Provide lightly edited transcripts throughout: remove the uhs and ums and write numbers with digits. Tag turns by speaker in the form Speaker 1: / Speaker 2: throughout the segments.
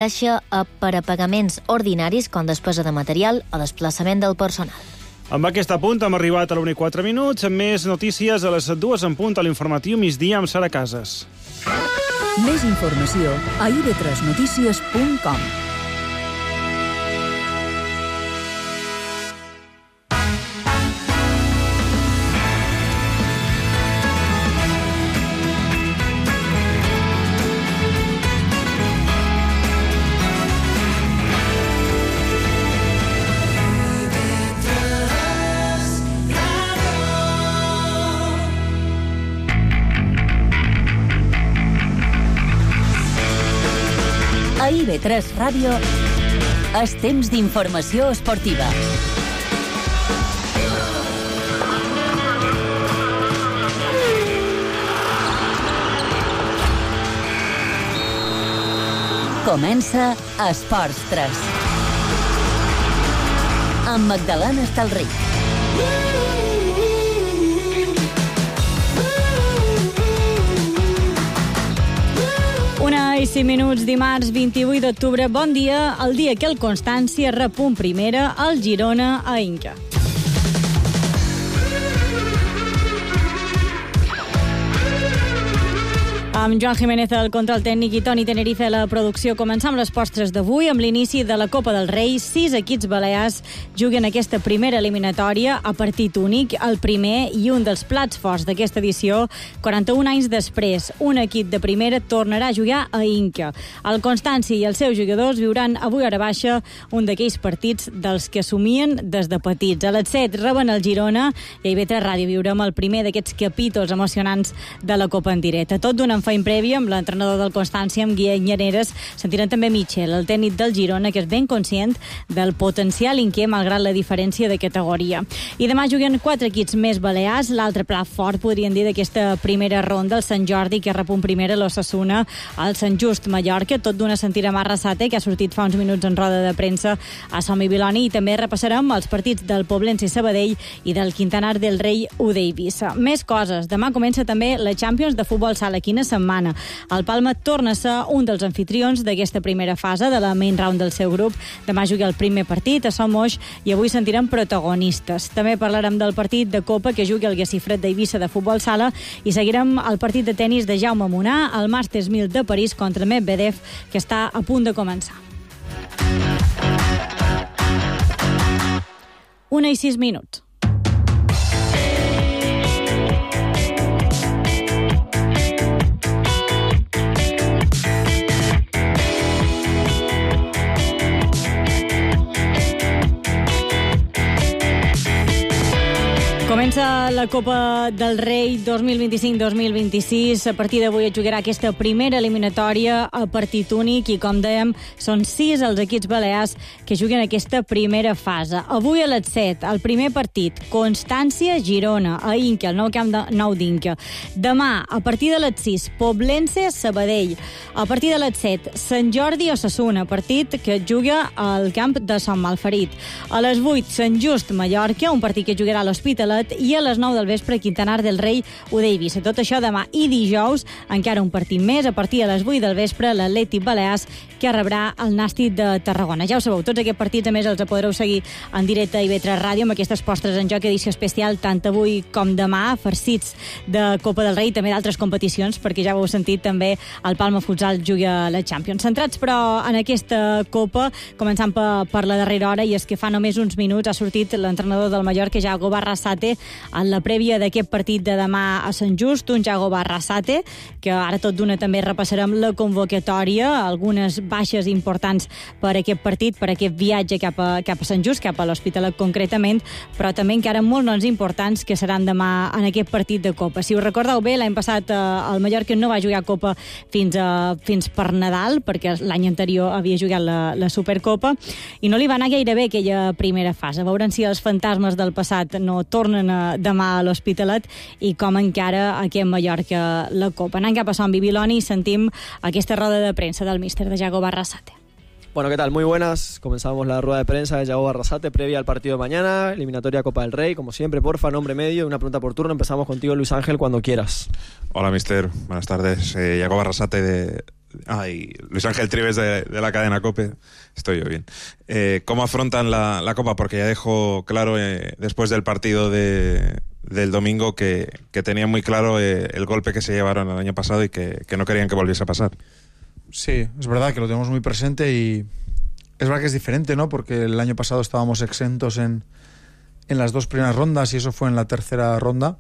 Speaker 1: per a pagaments ordinaris com despesa de material o desplaçament del personal.
Speaker 2: Amb aquest apunt hem arribat a l'1 i 4 minuts, amb més notícies a les 2 en punt a l'informatiu migdia amb Sara Casas.
Speaker 3: Més informació a ib3notícies.com. A IB3 Ràdio, és temps d'informació esportiva. Comença Esports 3. Amb Magdalena Estalric.
Speaker 4: 1:05, dimarts 28 d'octubre. Bon dia, el dia que el Constància repunt primera al Girona a Inca. Amb Joan Jiménez al control tècnic i Toni Tenerife a la producció. Començam les postres d'avui amb l'inici de la Copa del Rei. 6 equips balears juguen aquesta primera eliminatòria a partit únic, el primer i un dels plats forts d'aquesta edició. 41 anys després, un equip de primera tornarà a jugar a Inca. El Constància i els seus jugadors viuran avui a hora baixa un d'aquells partits dels que somien des de petits. A les 7 reben el Girona i a IB3 Ràdio viurem el primer d'aquests capítols emocionants de la Copa en directe. Tot d'una feina prèvia amb l'entrenador del Constància, amb Guillem Llaneres. Sentirem també Michel, el tècnic del Girona, que és ben conscient del potencial inquer malgrat la diferència de categoria. I demà juguen 4 equips més balears. L'altre plat fort, podríem dir, d'aquesta primera ronda, el Sant Jordi, que repunt primera l'Ossassuna, el Sant Just Mallorca, tot d'una sentirem a Arrasate, que ha sortit fa uns minuts en roda de premsa a Som i Viloni, i també repassarem els partits del Poblense Sabadell i del Quintanar del Rei UD Eivissa. Més coses. Demà comença també la Champions de futbol sala. Quina setmana. El Palma torna a ser un dels anfitrions d'aquesta primera fase de la main round del seu grup. Demà juga el primer partit a Somos i avui sentirem protagonistes. També parlarem del partit de Copa que jugui el Guessifred d'Eivissa de futbol sala i seguirem el partit de tenis de Jaume Munà al Masters 1000 de París contra Medvedev, que està a punt de començar. 1:06. Comença la Copa del Rei 2025-2026. A partir d'avui es jugarà aquesta primera eliminatòria a partit únic i, com dèiem, són 6 els equips balears que juguen aquesta primera fase. Avui a les 7, el primer partit, Constància-Girona, a Inca, el nou camp nou d'Inca. Demà, a partir de les 6, Poblense-Sabadell. A partir de les 7, Sant Jordi-Ossassuna, partit que juga al camp de Sant Malferit. A les 8, Sant Just-Mallorca, un partit que jugarà a l'Hospitalet, i a les 9 del vespre, Quintanar del Rei UD Eivissa. Tot això demà i dijous, encara un partit més, a partir de les 8 del vespre, l'Atlètic Balears, que rebrà el Nàstic de Tarragona. Ja ho sabeu, tots aquests partits, a més, els podreu seguir en directe a IB3 Ràdio, amb aquestes postres en joc, edició especial, tant avui com demà, farcits de Copa del Rei i també d'altres competicions, perquè ja ho heu sentit, també el Palma Futsal juga a la Champions. Centrats, però, en aquesta Copa, començant per la darrera hora, i és que fa només uns minuts ha sortit l'entrenador del Mallorca, Yago Barrasate, en la prèvia d'aquest partit de demà a Sant Just, un Yago Barrasate, que ara tot d'una també repassarem la convocatòria, algunes baixes importants per aquest partit, per aquest viatge cap a Sant Just, cap a l'Hospitalet concretament, però també encara molts noms importants que seran demà en aquest partit de Copa. Si us recordeu bé, l'any passat el Mallorca no va jugar Copa fins per Nadal, perquè l'any anterior havia jugat la Supercopa, i no li va anar gaire bé aquella primera fase. Veurem si els fantasmes del passat no tornen demà a l'Hospitalet i com encara aquest Mallorca la Copa. Anant cap a Som i Viloni i sentim aquesta roda de premsa del míster de Yago Barrasate.
Speaker 5: Bueno, ¿qué tal? Muy buenas. Comenzamos la rueda de prensa de Yago Barrasate previa al partido de mañana, eliminatoria Copa del Rey. Como siempre, porfa, nombre medio, una pregunta por turno. Empezamos contigo, Luis Ángel, cuando quieras.
Speaker 6: Hola, mister. Buenas tardes. Yago Barrasate Luis Ángel Trives de la cadena COPE. Estoy yo bien. ¿Cómo afrontan la Copa? Porque ya dejó claro después del partido del domingo que tenían muy claro el golpe que se llevaron el año pasado y que no querían que volviese a pasar.
Speaker 7: Sí, es verdad que lo tenemos muy presente y es verdad que es diferente, ¿no? Porque el año pasado estábamos exentos en las 2 primeras rondas y eso fue en la tercera ronda.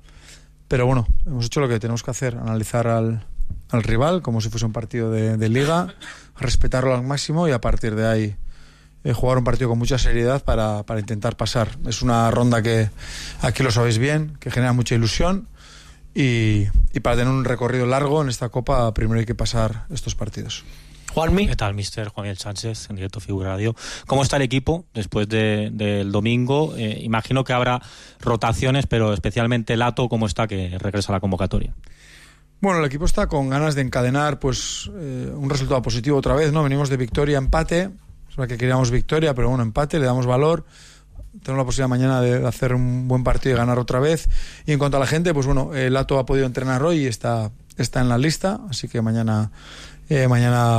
Speaker 7: Pero bueno, hemos hecho lo que tenemos que hacer, analizar al rival como si fuese un partido de liga, respetarlo al máximo y a partir de ahí jugar un partido con mucha seriedad para intentar pasar. Es una ronda que, aquí lo sabéis bien, que genera mucha ilusión y para tener un recorrido largo en esta Copa primero hay que pasar estos partidos.
Speaker 8: Juanmi. ¿Qué tal, mister? Juan Miguel Sánchez, en directo Figura Radio. ¿Cómo está el equipo después del domingo? Imagino que habrá rotaciones, pero especialmente Lato, ¿cómo está que regresa a la convocatoria?
Speaker 7: Bueno, el equipo está con ganas de encadenar pues un resultado positivo otra vez, ¿no? Venimos de victoria, empate. Es verdad que queríamos victoria, pero bueno, empate, le damos valor. Tenemos la posibilidad mañana de hacer un buen partido y ganar otra vez. Y en cuanto a la gente, pues bueno, Lato ha podido entrenar hoy y está en la lista, así que mañana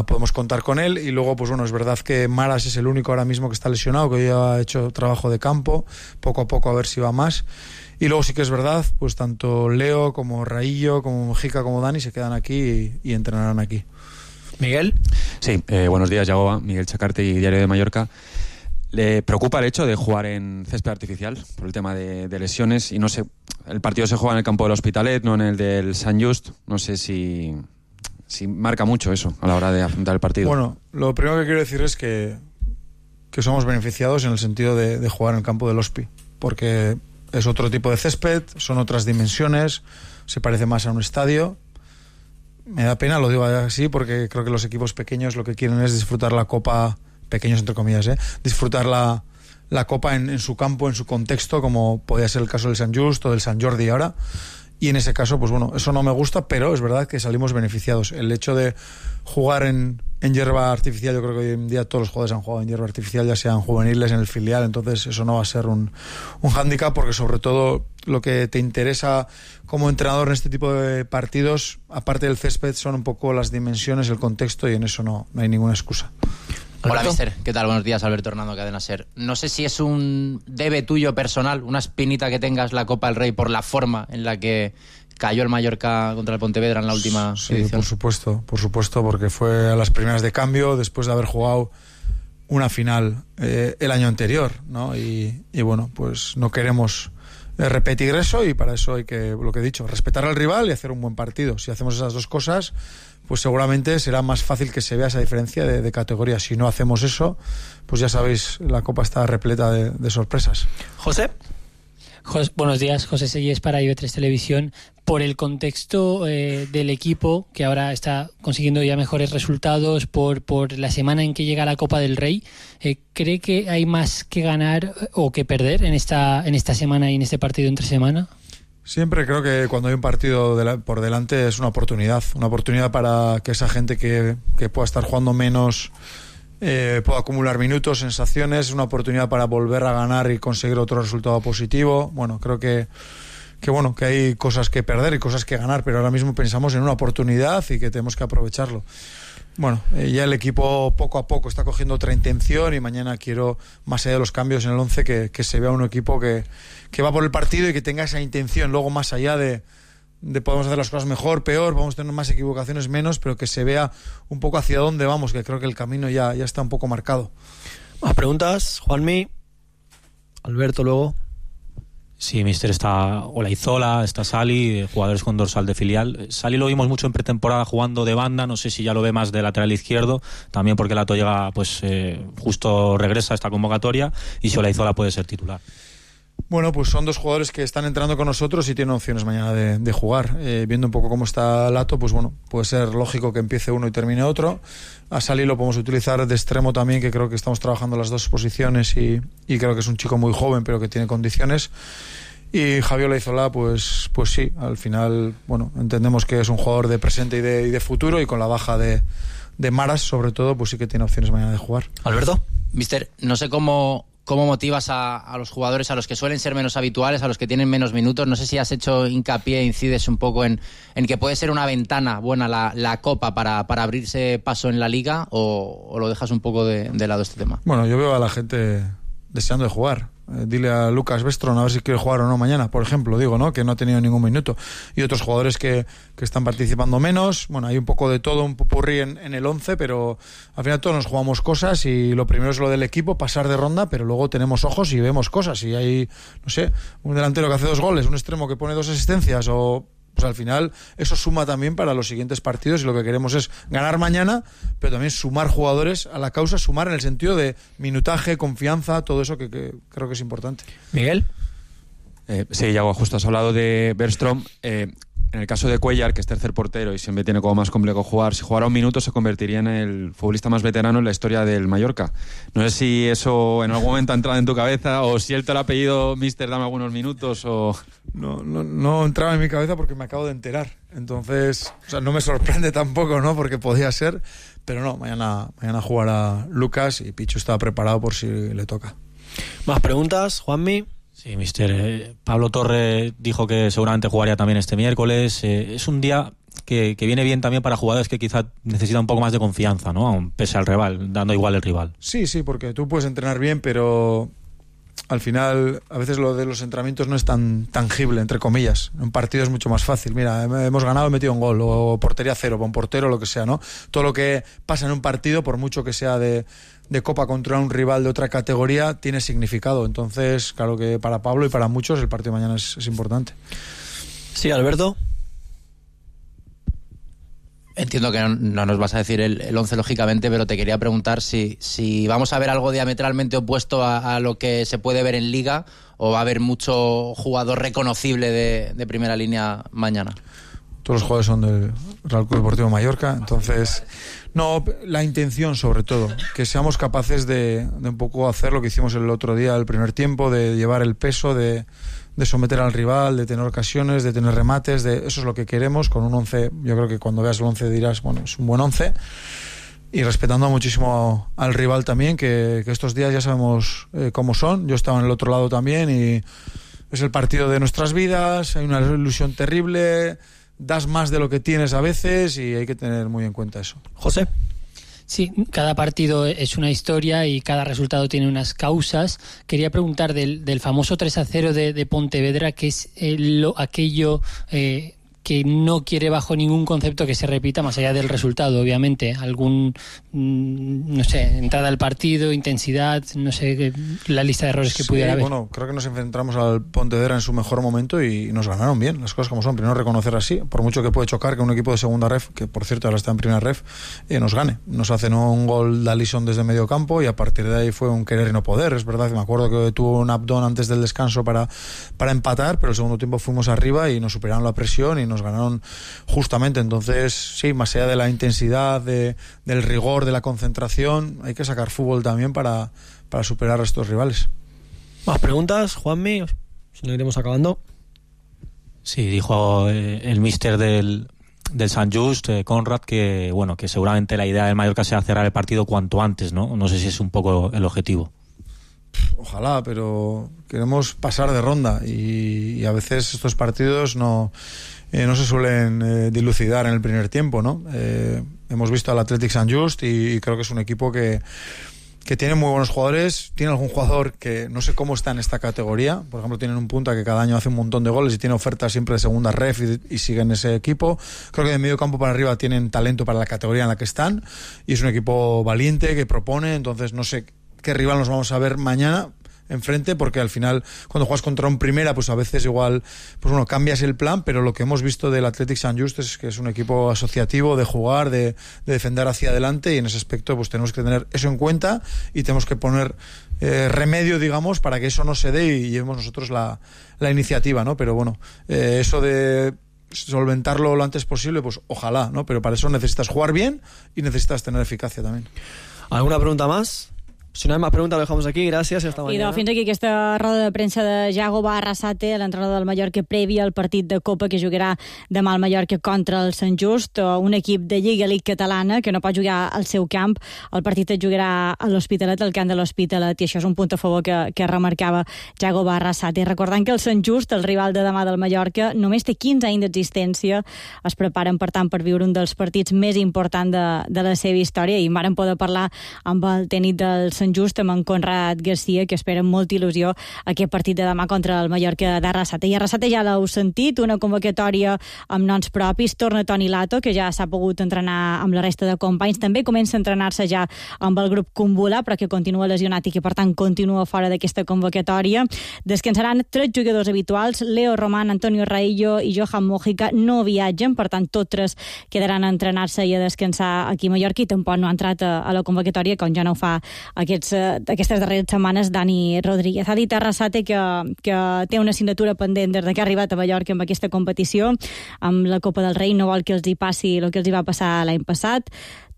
Speaker 7: podemos contar con él. Y luego, pues bueno, es verdad que Maras es el único ahora mismo que está lesionado, que hoy ha hecho trabajo de campo, poco a poco a ver si va más. Y luego sí que es verdad, pues tanto Leo como Raillo, como Mujica, como Dani se quedan aquí y entrenarán aquí.
Speaker 8: Miguel.
Speaker 9: Sí, buenos días, Yagoba, Miguel Chacarte y Diario de Mallorca. ¿Le preocupa el hecho de jugar en césped artificial por el tema de lesiones? Y no sé, el partido se juega en el campo del Hospitalet, no en el del Sant Just. No sé si marca mucho eso a la hora de afrontar el partido.
Speaker 7: Bueno, lo primero que quiero decir es que somos beneficiados en el sentido de jugar en el campo del Hospi, porque es otro tipo de césped, son otras dimensiones, se parece más a un estadio. Me da pena, lo digo así, porque creo que los equipos pequeños lo que quieren es disfrutar la Copa, pequeños entre comillas, disfrutar la Copa en su campo, en su contexto, como podía ser el caso del Sant Just o del Sant Jordi ahora. Y en ese caso, pues bueno, eso no me gusta, pero es verdad que salimos beneficiados. El hecho de jugar en hierba artificial, yo creo que hoy en día todos los jugadores han jugado en hierba artificial, ya sean juveniles, en el filial, entonces eso no va a ser un hándicap, porque sobre todo lo que te interesa como entrenador en este tipo de partidos, aparte del césped, son un poco las dimensiones, el contexto, y en eso no hay ninguna excusa.
Speaker 10: Hola, mister. ¿Qué tal? Buenos días, Alberto Hernando, Cadena SER. No sé si es un debe tuyo personal, una espinita que tengas la Copa del Rey por la forma en la que cayó el Mallorca contra el Pontevedra en la última edición.
Speaker 7: Sí, por supuesto, porque fue a las primeras de cambio después de haber jugado una final el año anterior, ¿no? Y bueno, pues no queremos repetir eso, y para eso hay que, lo que he dicho, respetar al rival y hacer un buen partido. Si hacemos esas dos cosas, pues seguramente será más fácil que se vea esa diferencia de categoría. Si no hacemos eso, pues ya sabéis, la Copa está repleta de sorpresas.
Speaker 8: José.
Speaker 11: Buenos días, José Selles para IB3 Televisión. Por el contexto del equipo, que ahora está consiguiendo ya mejores resultados, por la semana en que llega la Copa del Rey, ¿cree que hay más que ganar o que perder en esta semana y en este partido entre semana?
Speaker 7: Siempre creo que cuando hay un partido por delante es una oportunidad para que esa gente que pueda estar jugando menos pueda acumular minutos, sensaciones, una oportunidad para volver a ganar y conseguir otro resultado positivo. Bueno, creo que hay cosas que perder y cosas que ganar, pero ahora mismo pensamos en una oportunidad y que tenemos que aprovecharlo. Bueno, ya el equipo poco a poco está cogiendo otra intención, y mañana quiero, más allá de los cambios en el 11, que se vea un equipo que va por el partido y que tenga esa intención. Luego, más allá de podemos hacer las cosas mejor, peor, vamos a tener más equivocaciones, menos, pero que se vea un poco hacia dónde vamos, que creo que el camino ya está un poco marcado.
Speaker 5: Más preguntas, Juanmi, Alberto luego.
Speaker 8: Sí, mister, está Olaizola, está Sali, jugadores con dorsal de filial. Sali lo vimos mucho en pretemporada jugando de banda, no sé si ya lo ve más de lateral izquierdo, también porque Lato llega, pues justo regresa a esta convocatoria, y si Olaizola puede ser titular.
Speaker 7: Bueno, pues son dos jugadores que están entrando con nosotros y tienen opciones mañana de jugar. Viendo un poco cómo está Lato, pues bueno, puede ser lógico que empiece uno y termine otro. A Sali lo podemos utilizar de extremo también, que creo que estamos trabajando las dos posiciones, y creo que es un chico muy joven, pero que tiene condiciones. Y Javier Olaizola, pues sí, al final, bueno, entendemos que es un jugador de presente y de futuro, y con la baja de Maras, sobre todo, pues sí que tiene opciones mañana de jugar.
Speaker 5: Alberto.
Speaker 10: Mister, no sé cómo cómo motivas a los jugadores, a los que suelen ser menos habituales, a los que tienen menos minutos. No sé si has hecho hincapié, incides un poco en que puede ser una ventana buena la Copa para abrirse paso en la Liga, o lo dejas un poco de lado este tema.
Speaker 7: Bueno, yo veo a la gente deseando de jugar. Dile a Lucas Vestron a ver si quiere jugar o no mañana, por ejemplo, digo, ¿no? Que no ha tenido ningún minuto. Y otros jugadores que están participando menos. Bueno, hay un poco de todo, un popurrí en el 11, pero al final todos nos jugamos cosas y lo primero es lo del equipo, pasar de ronda, pero luego tenemos ojos y vemos cosas. Y hay, no sé, un delantero que hace 2 goles, un extremo que pone 2 asistencias, o... Pues al final eso suma también para los siguientes partidos, y lo que queremos es ganar mañana, pero también sumar jugadores a la causa, sumar en el sentido de minutaje, confianza, todo eso que creo que es importante.
Speaker 12: Miguel.
Speaker 9: Sí, Yago, justo has hablado de Bergström. En el caso de Cuellar, que es tercer portero y siempre tiene como más complejo jugar, si jugara un minuto se convertiría en el futbolista más veterano en la historia del Mallorca. No sé si eso en algún momento ha entrado en tu cabeza, o si él te lo ha pedido, mister, dame algunos minutos, o...
Speaker 7: No entraba en mi cabeza porque me acabo de enterar. Entonces, o sea, no me sorprende tampoco, ¿no? Porque podía ser, pero no, mañana jugará Lucas y Pichu está preparado por si le toca.
Speaker 12: ¿Más preguntas, Juanmi?
Speaker 8: Sí, mister. Pablo Torre dijo que seguramente jugaría también este miércoles. Es un día que viene bien también para jugadores que quizá necesitan un poco más de confianza, ¿no? Aun pese al rival, dando igual el rival.
Speaker 7: Sí, porque tú puedes entrenar bien, pero al final a veces lo de los entrenamientos no es tan tangible, entre comillas. Un partido es mucho más fácil. Mira, hemos ganado, he metido un gol, o portería cero, con portero, lo que sea, ¿no? Todo lo que pasa en un partido, por mucho que sea de Copa contra un rival de otra categoría, tiene significado. Entonces, claro que para Pablo y para muchos el partido de mañana es importante.
Speaker 12: Sí, Alberto.
Speaker 10: Entiendo que no nos vas a decir el 11 lógicamente, pero te quería preguntar si vamos a ver algo diametralmente opuesto a lo que se puede ver en Liga, o va a haber mucho jugador reconocible de primera línea mañana.
Speaker 7: Todos los jugadores son del Real Club Deportivo Mallorca, entonces no, la intención sobre todo, que seamos capaces de un poco hacer lo que hicimos el otro día, el primer tiempo, de llevar el peso, de someter al rival, de tener ocasiones, de tener remates, eso es lo que queremos con un 11. Yo creo que cuando veas el 11 dirás, bueno, es un buen 11, y respetando muchísimo al rival también, que estos días ya sabemos cómo son. Yo estaba en el otro lado también y es el partido de nuestras vidas, hay una ilusión terrible, das más de lo que tienes a veces y hay que tener muy en cuenta eso.
Speaker 12: José.
Speaker 11: Sí, cada partido es una historia y cada resultado tiene unas causas. Quería preguntar del famoso 3-0 de Pontevedra, ¿qué es aquello que no quiere bajo ningún concepto que se repita, más allá del resultado, obviamente? Algún, no sé, entrada al partido, intensidad, no sé, la lista de errores que pudiera haber.
Speaker 7: Bueno, creo que nos enfrentamos al Pontevedra en su mejor momento y nos ganaron bien, las cosas como son. Primero reconocer así, por mucho que puede chocar que un equipo de segunda ref, que por cierto ahora está en primera ref, nos gane. Nos hacen un gol de Alisson desde medio campo y a partir de ahí fue un querer y no poder. Es verdad que me acuerdo que tuvo un abdón antes del descanso para empatar, pero el segundo tiempo fuimos arriba y nos superaron la presión y nos ganaron justamente. Entonces, sí, más allá de la intensidad, del rigor, de la concentración, hay que sacar fútbol también para superar a estos rivales.
Speaker 12: ¿Más preguntas, Juanmi? Si no, iremos acabando.
Speaker 8: Sí, dijo el míster del Sant Just, Conrad, que bueno, que seguramente la idea del Mallorca sea cerrar el partido cuanto antes, ¿no? No sé si es un poco el objetivo.
Speaker 7: Ojalá, pero queremos pasar de ronda y a veces estos partidos no se suelen dilucidar en el primer tiempo, ¿no? Hemos visto al Athletic Sant Just y creo que es un equipo que tiene muy buenos jugadores. Tiene algún jugador que no sé cómo está en esta categoría. Por ejemplo, tienen un punta que cada año hace un montón de goles y tiene ofertas siempre de segunda ref y siguen ese equipo. Creo que de medio campo para arriba tienen talento para la categoría en la que están y es un equipo valiente que propone. Entonces no sé qué rival nos vamos a ver mañana enfrente, porque al final cuando juegas contra un primera, pues a veces igual pues bueno, cambias el plan, pero lo que hemos visto del Athletic Sant Just es que es un equipo asociativo de jugar, de defender hacia adelante, y en ese aspecto pues tenemos que tener eso en cuenta y tenemos que poner remedio, digamos, para que eso no se dé y llevemos nosotros la iniciativa, ¿no? Pero bueno, eso de solventarlo lo antes posible, pues ojalá, ¿no? Pero para eso necesitas jugar bien y necesitas tener eficacia también.
Speaker 12: ¿Alguna pregunta más?
Speaker 5: Si no hay más preguntas, lo dejamos aquí. Gracias i hasta mañana.
Speaker 4: I fins aquí aquesta roda de premsa de Yago Arrasate, l'entrenador del Mallorca, prèvia al partit de Copa que jugarà demà al Mallorca contra el Sant Just, un equip de Lliga League catalana que no pot jugar al seu camp. El partit es jugarà a l'Hospitalet, al camp de l'Hospitalet, i això és un punt a favor que remarcava Yago Arrasate. Recordant que el Sant Just, el rival de demà del Mallorca, només té 15 anys d'existència. Es preparen, per tant, per viure un dels partits més importants de la seva història, i vàrem poder parlar amb el tècnic del Sant Just, amb en Conrad Garcia, que espera amb molta il·lusió aquest partit de demà contra el Mallorca d'Arrasate. I Arrasate ja l'heu sentit, una convocatòria amb noms propis. Torna Toni Lato, que ja s'ha pogut entrenar amb la resta de companys. També comença a entrenar-se ja amb el grup Kumbula, però que continua lesionat i que, per tant, continua fora d'aquesta convocatòria. Descansaran 3 jugadors habituals. Leo Román, Antonio Raillo i Johan Mojica no viatgen, per tant, tots 3 quedaran a entrenar-se i a descansar aquí a Mallorca, i tampoc no ha entrat a la convocatòria, com ja no ho fa aquestes darreres setmanes Dani Rodríguez. Ha dit Arrasate que té una assignatura pendent des que ha arribat a Mallorca amb aquesta competició, amb la Copa del Rei. No vol que els hi passi el que els hi va passar l'any passat.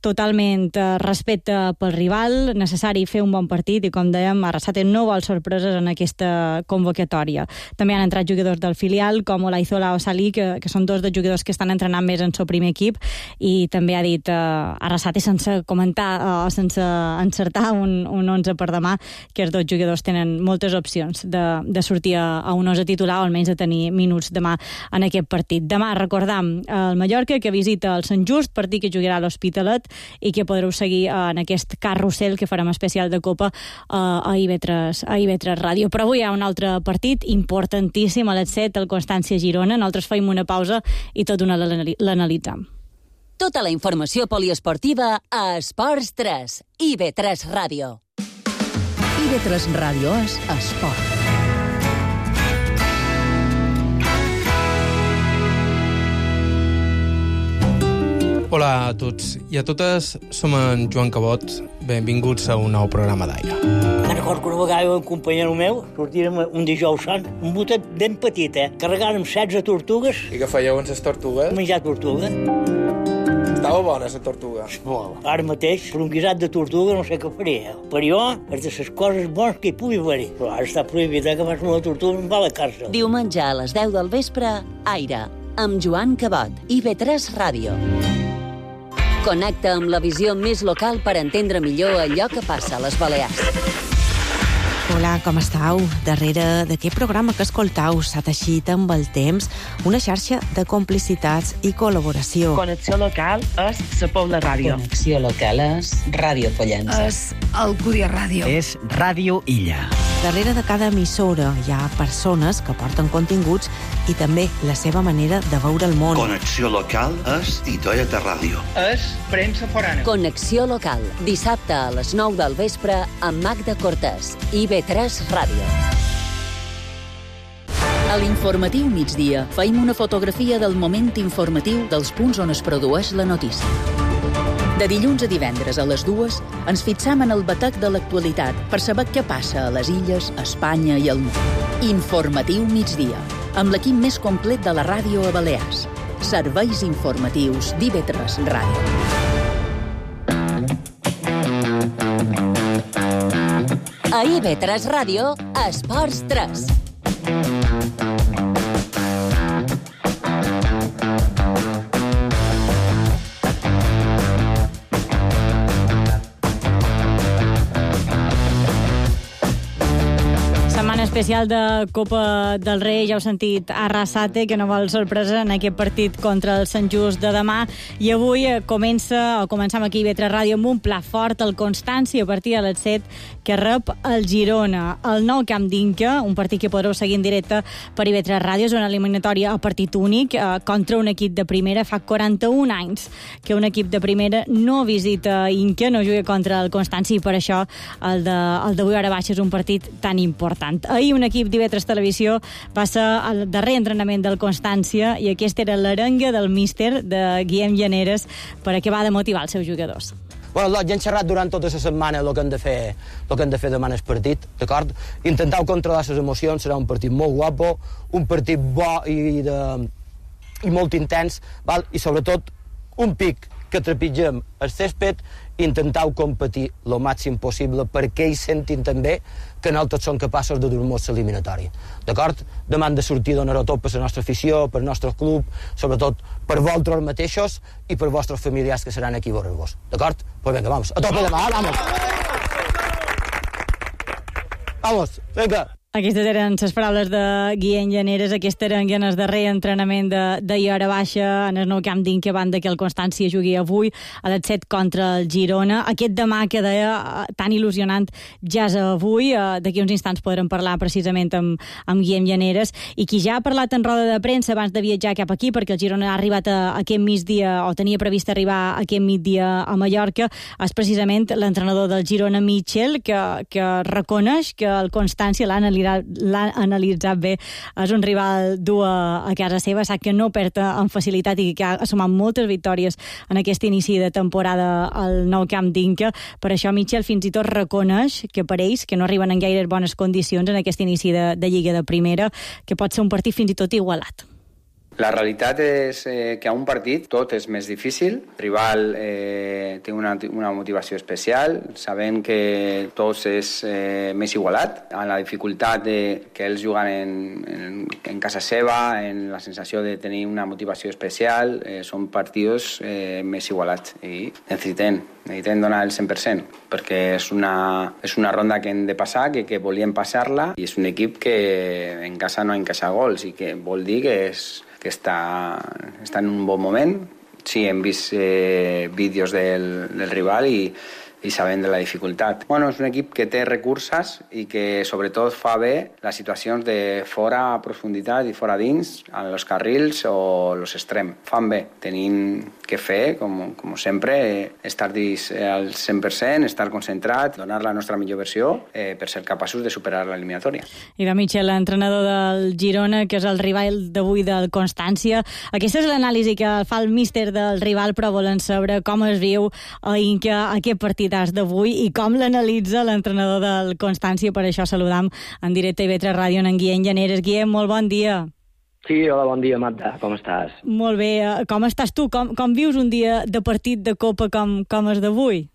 Speaker 4: Totalment respecte pel rival, necessari fer un bon partit, i com dèiem, Arrasate no vol sorpreses en aquesta convocatòria. També han entrat jugadors del filial, com Olaizola o Salí, que són 2 dels jugadors que estan entrenant més en el primer equip, i també ha dit Arrasate, sense comentar o sense encertar un 11 per demà, que els 2 jugadors tenen moltes opcions de sortir a un 11 titular, o almenys de tenir minuts demà en aquest partit. Demà, recordam, el Mallorca, que visita el Sant Just, partit que jugarà a l'Hospitalet, i que podreu seguir en aquest carrusel que farem especial de Copa a IB3 Ràdio. Però avui hi ha un altre partit importantíssim a les 7, el Constància-Girona. Nosaltres feim una pausa i tot d'una l'analitzam.
Speaker 3: Tota la informació poliesportiva a Esports 3, IB3 Ràdio. IB3 Ràdio és esport.
Speaker 13: Hola a tots i a totes, som en Joan Cabot. Benvinguts a un nou programa d'Aire.
Speaker 14: Me'n recordo que una vegada un companyero meu sortirem un dijous sant, un botet ben petit, carregàrem 16 tortugues.
Speaker 13: I què fèieu amb les tortugues?
Speaker 14: Menjar tortuga.
Speaker 13: Estava bona, la tortuga.
Speaker 14: Molt. Ara mateix, per un guisat de tortuga, no sé què faria. Per jo, és de les coses bones que hi pugui haver. Però ara està prohibit que fas una tortuga i em va a la càrcel.
Speaker 3: Diumenge a les 10 del vespre, Aire, amb Joan Cabot, IB3 Ràdio. Connecta amb la visió més local per entendre millor allò que passa a les Balears.
Speaker 15: Hola, com estàu? Darrere d'aquest programa que escoltau s'ha teixit amb el temps una xarxa de complicitats i col·laboració.
Speaker 16: Connexió local és la Pobla Ràdio.
Speaker 17: Connexió local és Ràdio Pollença.
Speaker 15: És Alcúdia Ràdio.
Speaker 17: És Ràdio Illa.
Speaker 15: Darrere de cada emissora hi ha persones que porten continguts i també la seva manera de veure el món.
Speaker 18: Connexió local és Titoeta Ràdio.
Speaker 16: És premsa forana.
Speaker 3: Connexió local, dissabte a les 9 del vespre amb Magda Cortés, IB3 Ràdio. A l'informatiu migdia feim una fotografia del moment informatiu dels punts on es produeix la notícia. De dilluns a divendres a les 2 ens fixam en el batec de l'actualitat per saber què passa a les illes, a Espanya i al món. Informatiu migdia, amb l'equip més complet de la ràdio a Balears. Serveis informatius d'IB3 Ràdio. A IB3 Ràdio, Esports 3.
Speaker 4: Especial de Copa del Rei, ja heu sentit Arrasate, que no vol sorpresa en aquest partit contra el Sant Just de demà, i avui començam aquí a IB3 Ràdio amb un pla fort, el Constància, a partir de les 7, que rep el Girona, el nou camp d'Inca, un partit que podreu seguir en directe per IB3 Ràdio. És una eliminatòria a partit únic contra un equip de primera. Fa 41 anys que un equip de primera no visita Inca, no juga contra el Constància, i per això el d'avui hora baixa és un partit tan important. Ahir un equip d'IB3 Televisió va ser el darrer entrenament del Constància, i aquesta era l'arenga del míster de Guillem Llaneres per acabar de motivar els seus jugadors.
Speaker 19: Bueno, ja hem xerrat durant tota la setmana el que hem de fer demà en el partit, d'acord? Intentau controlar les emocions, serà un partit molt guapo, un partit bo i molt intens, val? I sobretot un pic que trepitgem el césped i intentar competir el màxim possible perquè ells sentin també que nosaltres som capaços de dur-nos l'eliminatori. D'acord? Demà hem de sortir donar-ho tot per la nostra afició, per el nostre club, sobretot per vosaltres mateixos i per vostres familiars que seran aquí a veure-vos. D'acord? Pues venga, vamos. A tope demà, vamos! Vamos, venga!
Speaker 4: Aquestes eren les paraules de Guillem Llaneres. Aquest era en el darrer entrenament de Iora Baixa en el nou camp d'Inca, a banda que el Constància jugui avui a les 7 contra el Girona. Aquest demà que deia tan il·lusionant ja és avui. D'aquí uns instants podrem parlar precisament amb Guillem Llaneres, i qui ja ha parlat en roda de premsa abans de viatjar cap aquí, perquè el Girona ha arribat aquest migdia, o tenia previst arribar aquest migdia a Mallorca, és precisament l'entrenador del Girona, Mitchell, que reconeix que el Constància l'ha analitzat bé. És un rival dur a casa seva, sap que no perd amb facilitat i que ha sumat moltes victòries en aquest inici de temporada al nou camp d'Inca. Per això Mitchell fins i tot reconeix que per ells, que no arriben en gaire bones condicions en aquest inici de Lliga de Primera, que pot ser un partit fins i tot igualat.
Speaker 20: La realitat és que a un partit tot és més difícil. El rival té una motivació especial. Sabem que tot és més igualat. En la dificultat que ells juguen en casa seva, en la sensació de tenir una motivació especial, són partits més igualats. I necessitem donar el 100%, perquè és una ronda que hem de passar, que volíem passar-la, i és un equip que en casa no encaixa gols, i que vol dir que està en un bon moment. Sí, hem vist vídeos del rival i sabem de la dificultat. Bueno, és un equip que té recursos i que sobretot fa bé les situacions de fora a profunditat i fora dins, en els carrils o els extrems. Fan bé. Tenim que fer, com sempre, estar dins al 100%, estar concentrat, donar la nostra millor versió per ser capaços de superar l'eliminatòria.
Speaker 4: I de Mitchell, l'entrenador del Girona, que és el rival d'avui del Constància. Aquesta és l'anàlisi que fa el míster del rival, però volen saber com es viu a Inca aquest partit d'avui i com l'analitza l'entrenador del Constància. Per això saludam en directe a IB3 Ràdio en Guillem Llaneres. Guillem, molt bon dia.
Speaker 21: Sí, hola, bon dia, Marta. Com estàs?
Speaker 4: Molt bé. Com estàs tu? Com vius un dia de partit de Copa com és d'avui?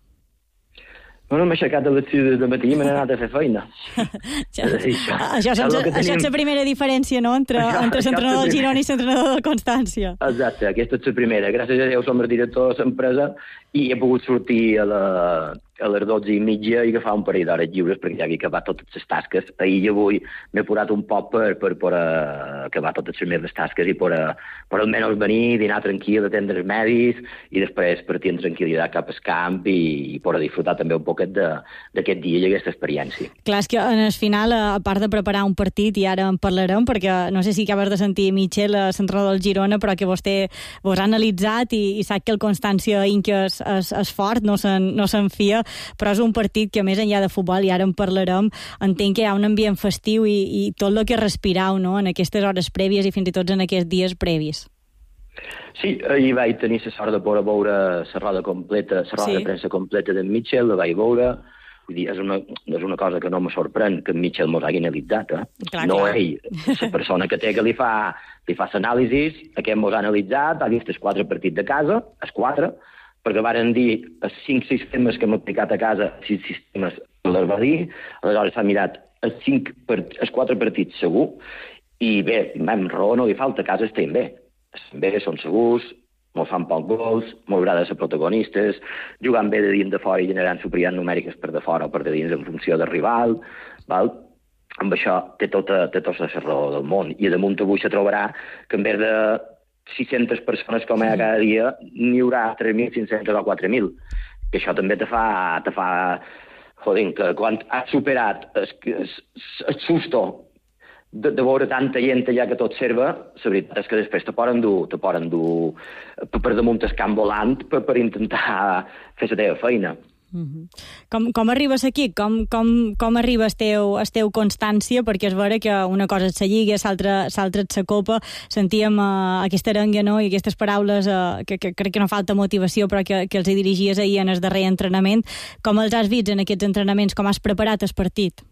Speaker 21: Bueno, m'he aixecat a les 6 de matí i m'he anat a fer feina.
Speaker 4: Això és la primera diferència, no?, entre l'entrenador del Girona i l'entrenador del Constància.
Speaker 21: Exacte, aquesta és la primera. Gràcies a Déu som el director de l'empresa i he pogut sortir a les 12:30 i agafar un parell d'hores lliures perquè ja havia acabat totes les tasques. Ahir i avui m'he apurat un poc per acabar totes les meves tasques i per almenys venir, dinar tranquil, atendre els medis i després partir en tranquil·litat cap al camp i per disfrutar també un poquet d'aquest dia i aquesta experiència.
Speaker 4: Clar, és que en el final, a part de preparar un partit, i ara en parlarem, perquè no sé si acabes de sentir Mitchell, l'entrenador del Girona, però que vostè vos ha analitzat i sap que el Constància Inca és fort, no s'enfia, però és un partit que, més enllà de futbol, i ara en parlarem, entenc que hi ha un ambient festiu i tot el que respirau, no?, en aquestes hores prèvies i fins i tot en aquests dies previs.
Speaker 21: Sí, ahir vaig tenir la sort de poder veure la roda completa, la roda de premsa completa d'en Mitchell, la vaig veure. Vull dir, és una cosa que no me sorprèn que en Mitchell mos hagi analitzat, no ell, la persona que té que li fa l'anàlisi, aquest mos ha analitzat, ha vist els 4 partits de casa, els 4, perquè varen dir els 5 sistemes que hem aplicat a casa, 6 sistemes les va dir, aleshores s'ha mirat els 4 partits segur, i bé, amb raó no li falta, a casa estem bé. Estem bé, són segurs, molt fan poc gols, molt agrada ser protagonistes, jugant bé de dins de fora i generant superioritats numèriques per de fora o per de dins en funció del rival, val? Amb això té tota la raó del món. I damunt avui se trobarà que en vez de 600 persones com hi ha cada dia, n'hi haurà 3.500 o 4.000. Que això també te fa joder, que quan has superat el susto de veure tanta gent allà que tot serva, la veritat és que després te poden dur per damunt el camp volant per intentar fer la teva feina.
Speaker 4: Com arribes aquí? Com arriba el teu Constància? Perquè és vera que una cosa és la Lliga, l'altra és la Copa. Sentíem aquesta arenga, no?, i aquestes paraules que crec que no falta motivació, però que els dirigies ahir en el darrer entrenament. Com els has vist en aquests entrenaments? Com has preparat el partit?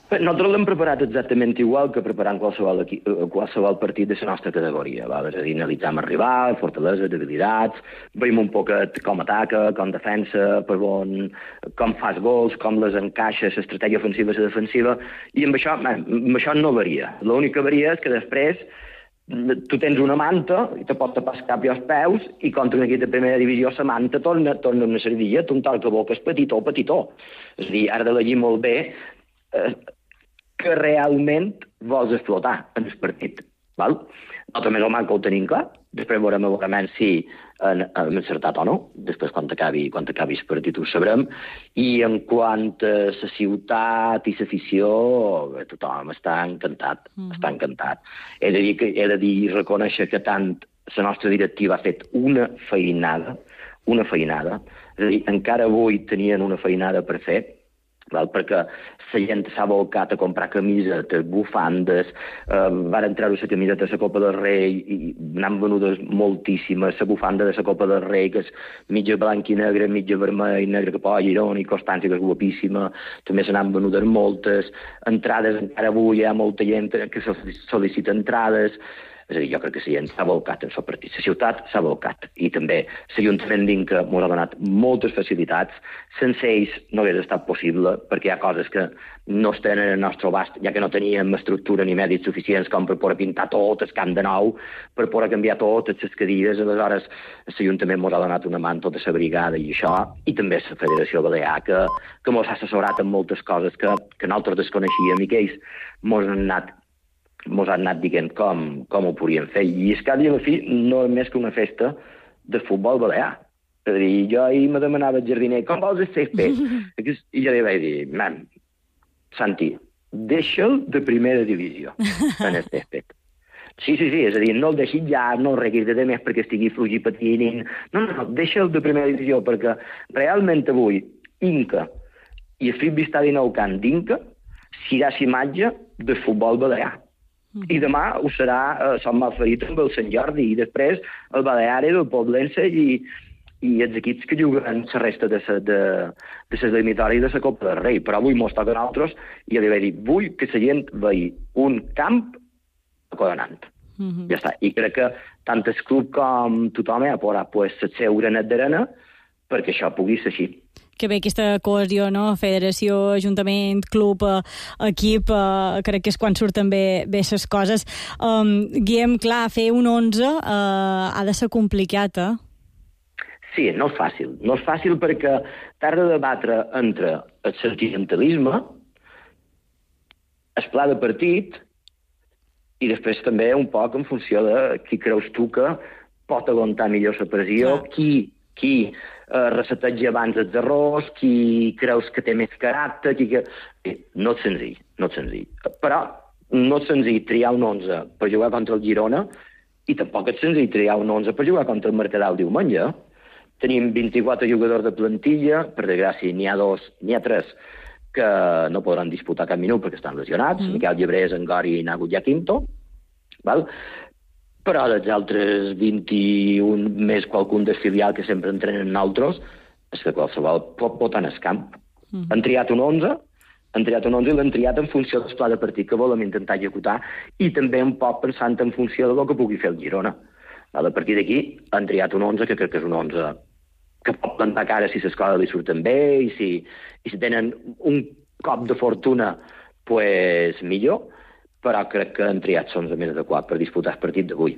Speaker 21: Nosaltres l'hem preparat exactament igual que preparant qualsevol partit de la nostra categoria. És a dir, analitzam el rival, fortaleses, debilitats, veiem un poquet com ataca, com defensa, com fas gols, com les encaixa, l'estratègia ofensiva i la defensiva, i amb això no varia. L'únic que varia és que després tu tens una manta i te pot tapar el cap i els peus i contra un equip de primera divisió la manta torna una sardilla, tu un tal que boca és petitó. És a dir, has d'elegir molt bé que realment vols explotar en el partit. Nosaltres més o menys que ho tenim clar, després veurem si hem encertat o no, després quan acabi el partit ho sabrem, i en quant a la ciutat i l'afició, tothom està encantat, He de dir i reconèixer que tant la nostra directiva ha fet una feinada, és a dir, encara avui tenien una feinada per fer, perquè la gent s'ha volcat a comprar camisetes, bufandes, van treure la camiseta de la Copa del Rei i n'han venudes moltíssimes, la bufanda de la Copa del Rei, que és mitja blanc i negre, mitja vermell, negre que posa Girona i Constància, que és guapíssima, també se n'han venudes moltes, entrades, encara avui hi ha molta gent que sol·licita entrades. És a dir, jo crec que la gent s'ha volcat en el partit. La ciutat s'ha volcat. I també l'Ajuntament d'Inca ens ha donat moltes facilitats. Sense ells no hauria estat possible, perquè hi ha coses que no es tenen al nostre abast, ja que no teníem estructura ni mèdits suficients com per poder pintar tot el camp de nou, per poder canviar totes les cadires. Aleshores, l'Ajuntament ens ha donat una mà en tota la brigada i això, i també la Federació Balear, que ens ha assessorat en moltes coses que nosaltres desconeixíem i que ells ens han anat dient com ho podríem fer. I és que a la fi no és més que una festa de futbol balear. És a dir, jo ahir me demanava el jardiner, com vols el césped? I jo li vaig dir, Santi, deixa'l de primera divisió en el césped. Sí, és a dir, no el deixis ja, no el reguis de més perquè estigui fluix i patint. No, deixa'l de primera divisió, perquè realment avui Inca i el Frisbee Stadi Nou Camp d'Inca serà l'imatge de futbol balear. I demà ho serà Sant Malferit amb el Sant Jordi, i després el Baleares, el Poblense i els equips que juguen la resta de les eliminatòries de la Copa del Rei. Però avui mos toca a nosaltres i li vaig dir, vull que la gent vegi un camp acollonant. Ja està. I crec que tant el club com tothom ha posat el seu granet d'arena perquè això pugui ser així.
Speaker 4: Que bé aquesta cohesió, no? Federació, Ajuntament, club, equip, crec que és quan surten bé les coses. Guillem, clar, fer un 11 ha de ser complicat,
Speaker 21: Sí, no és fàcil. No és fàcil perquè t'has de debatre entre el sentimentalisme, el pla de partit, i després també un poc en funció de qui creus tu que pot aguantar millor la pressió, qui reseteja abans els errors, qui creus que té més caràcter, No és senzill. Però no és senzill triar un 11 per jugar contra el Girona i tampoc és senzill triar un 11 per jugar contra el Mercadal el diumenge. Tenim 24 jugadors de plantilla, per desgràcia n'hi ha 3 que no podran disputar cap minut perquè estan lesionats, Miquel Llebrés, Angori i Nagu Jaquinto, però dels altres 21 més qualcun del filial que sempre entrenen nosaltres, és que qualsevol pot votar en el camp. Han triat un 11 i l'han triat en funció del pla de partit que volem intentar executar i també un poc pensant en funció del que pugui fer el Girona. A partir d'aquí han triat un 11 que crec que és un 11 que pot plantar cara si les coses li surten bé i si tenen un cop de fortuna, pues millor, però crec que han triat l'11 més adequat per disputar el partit d'avui.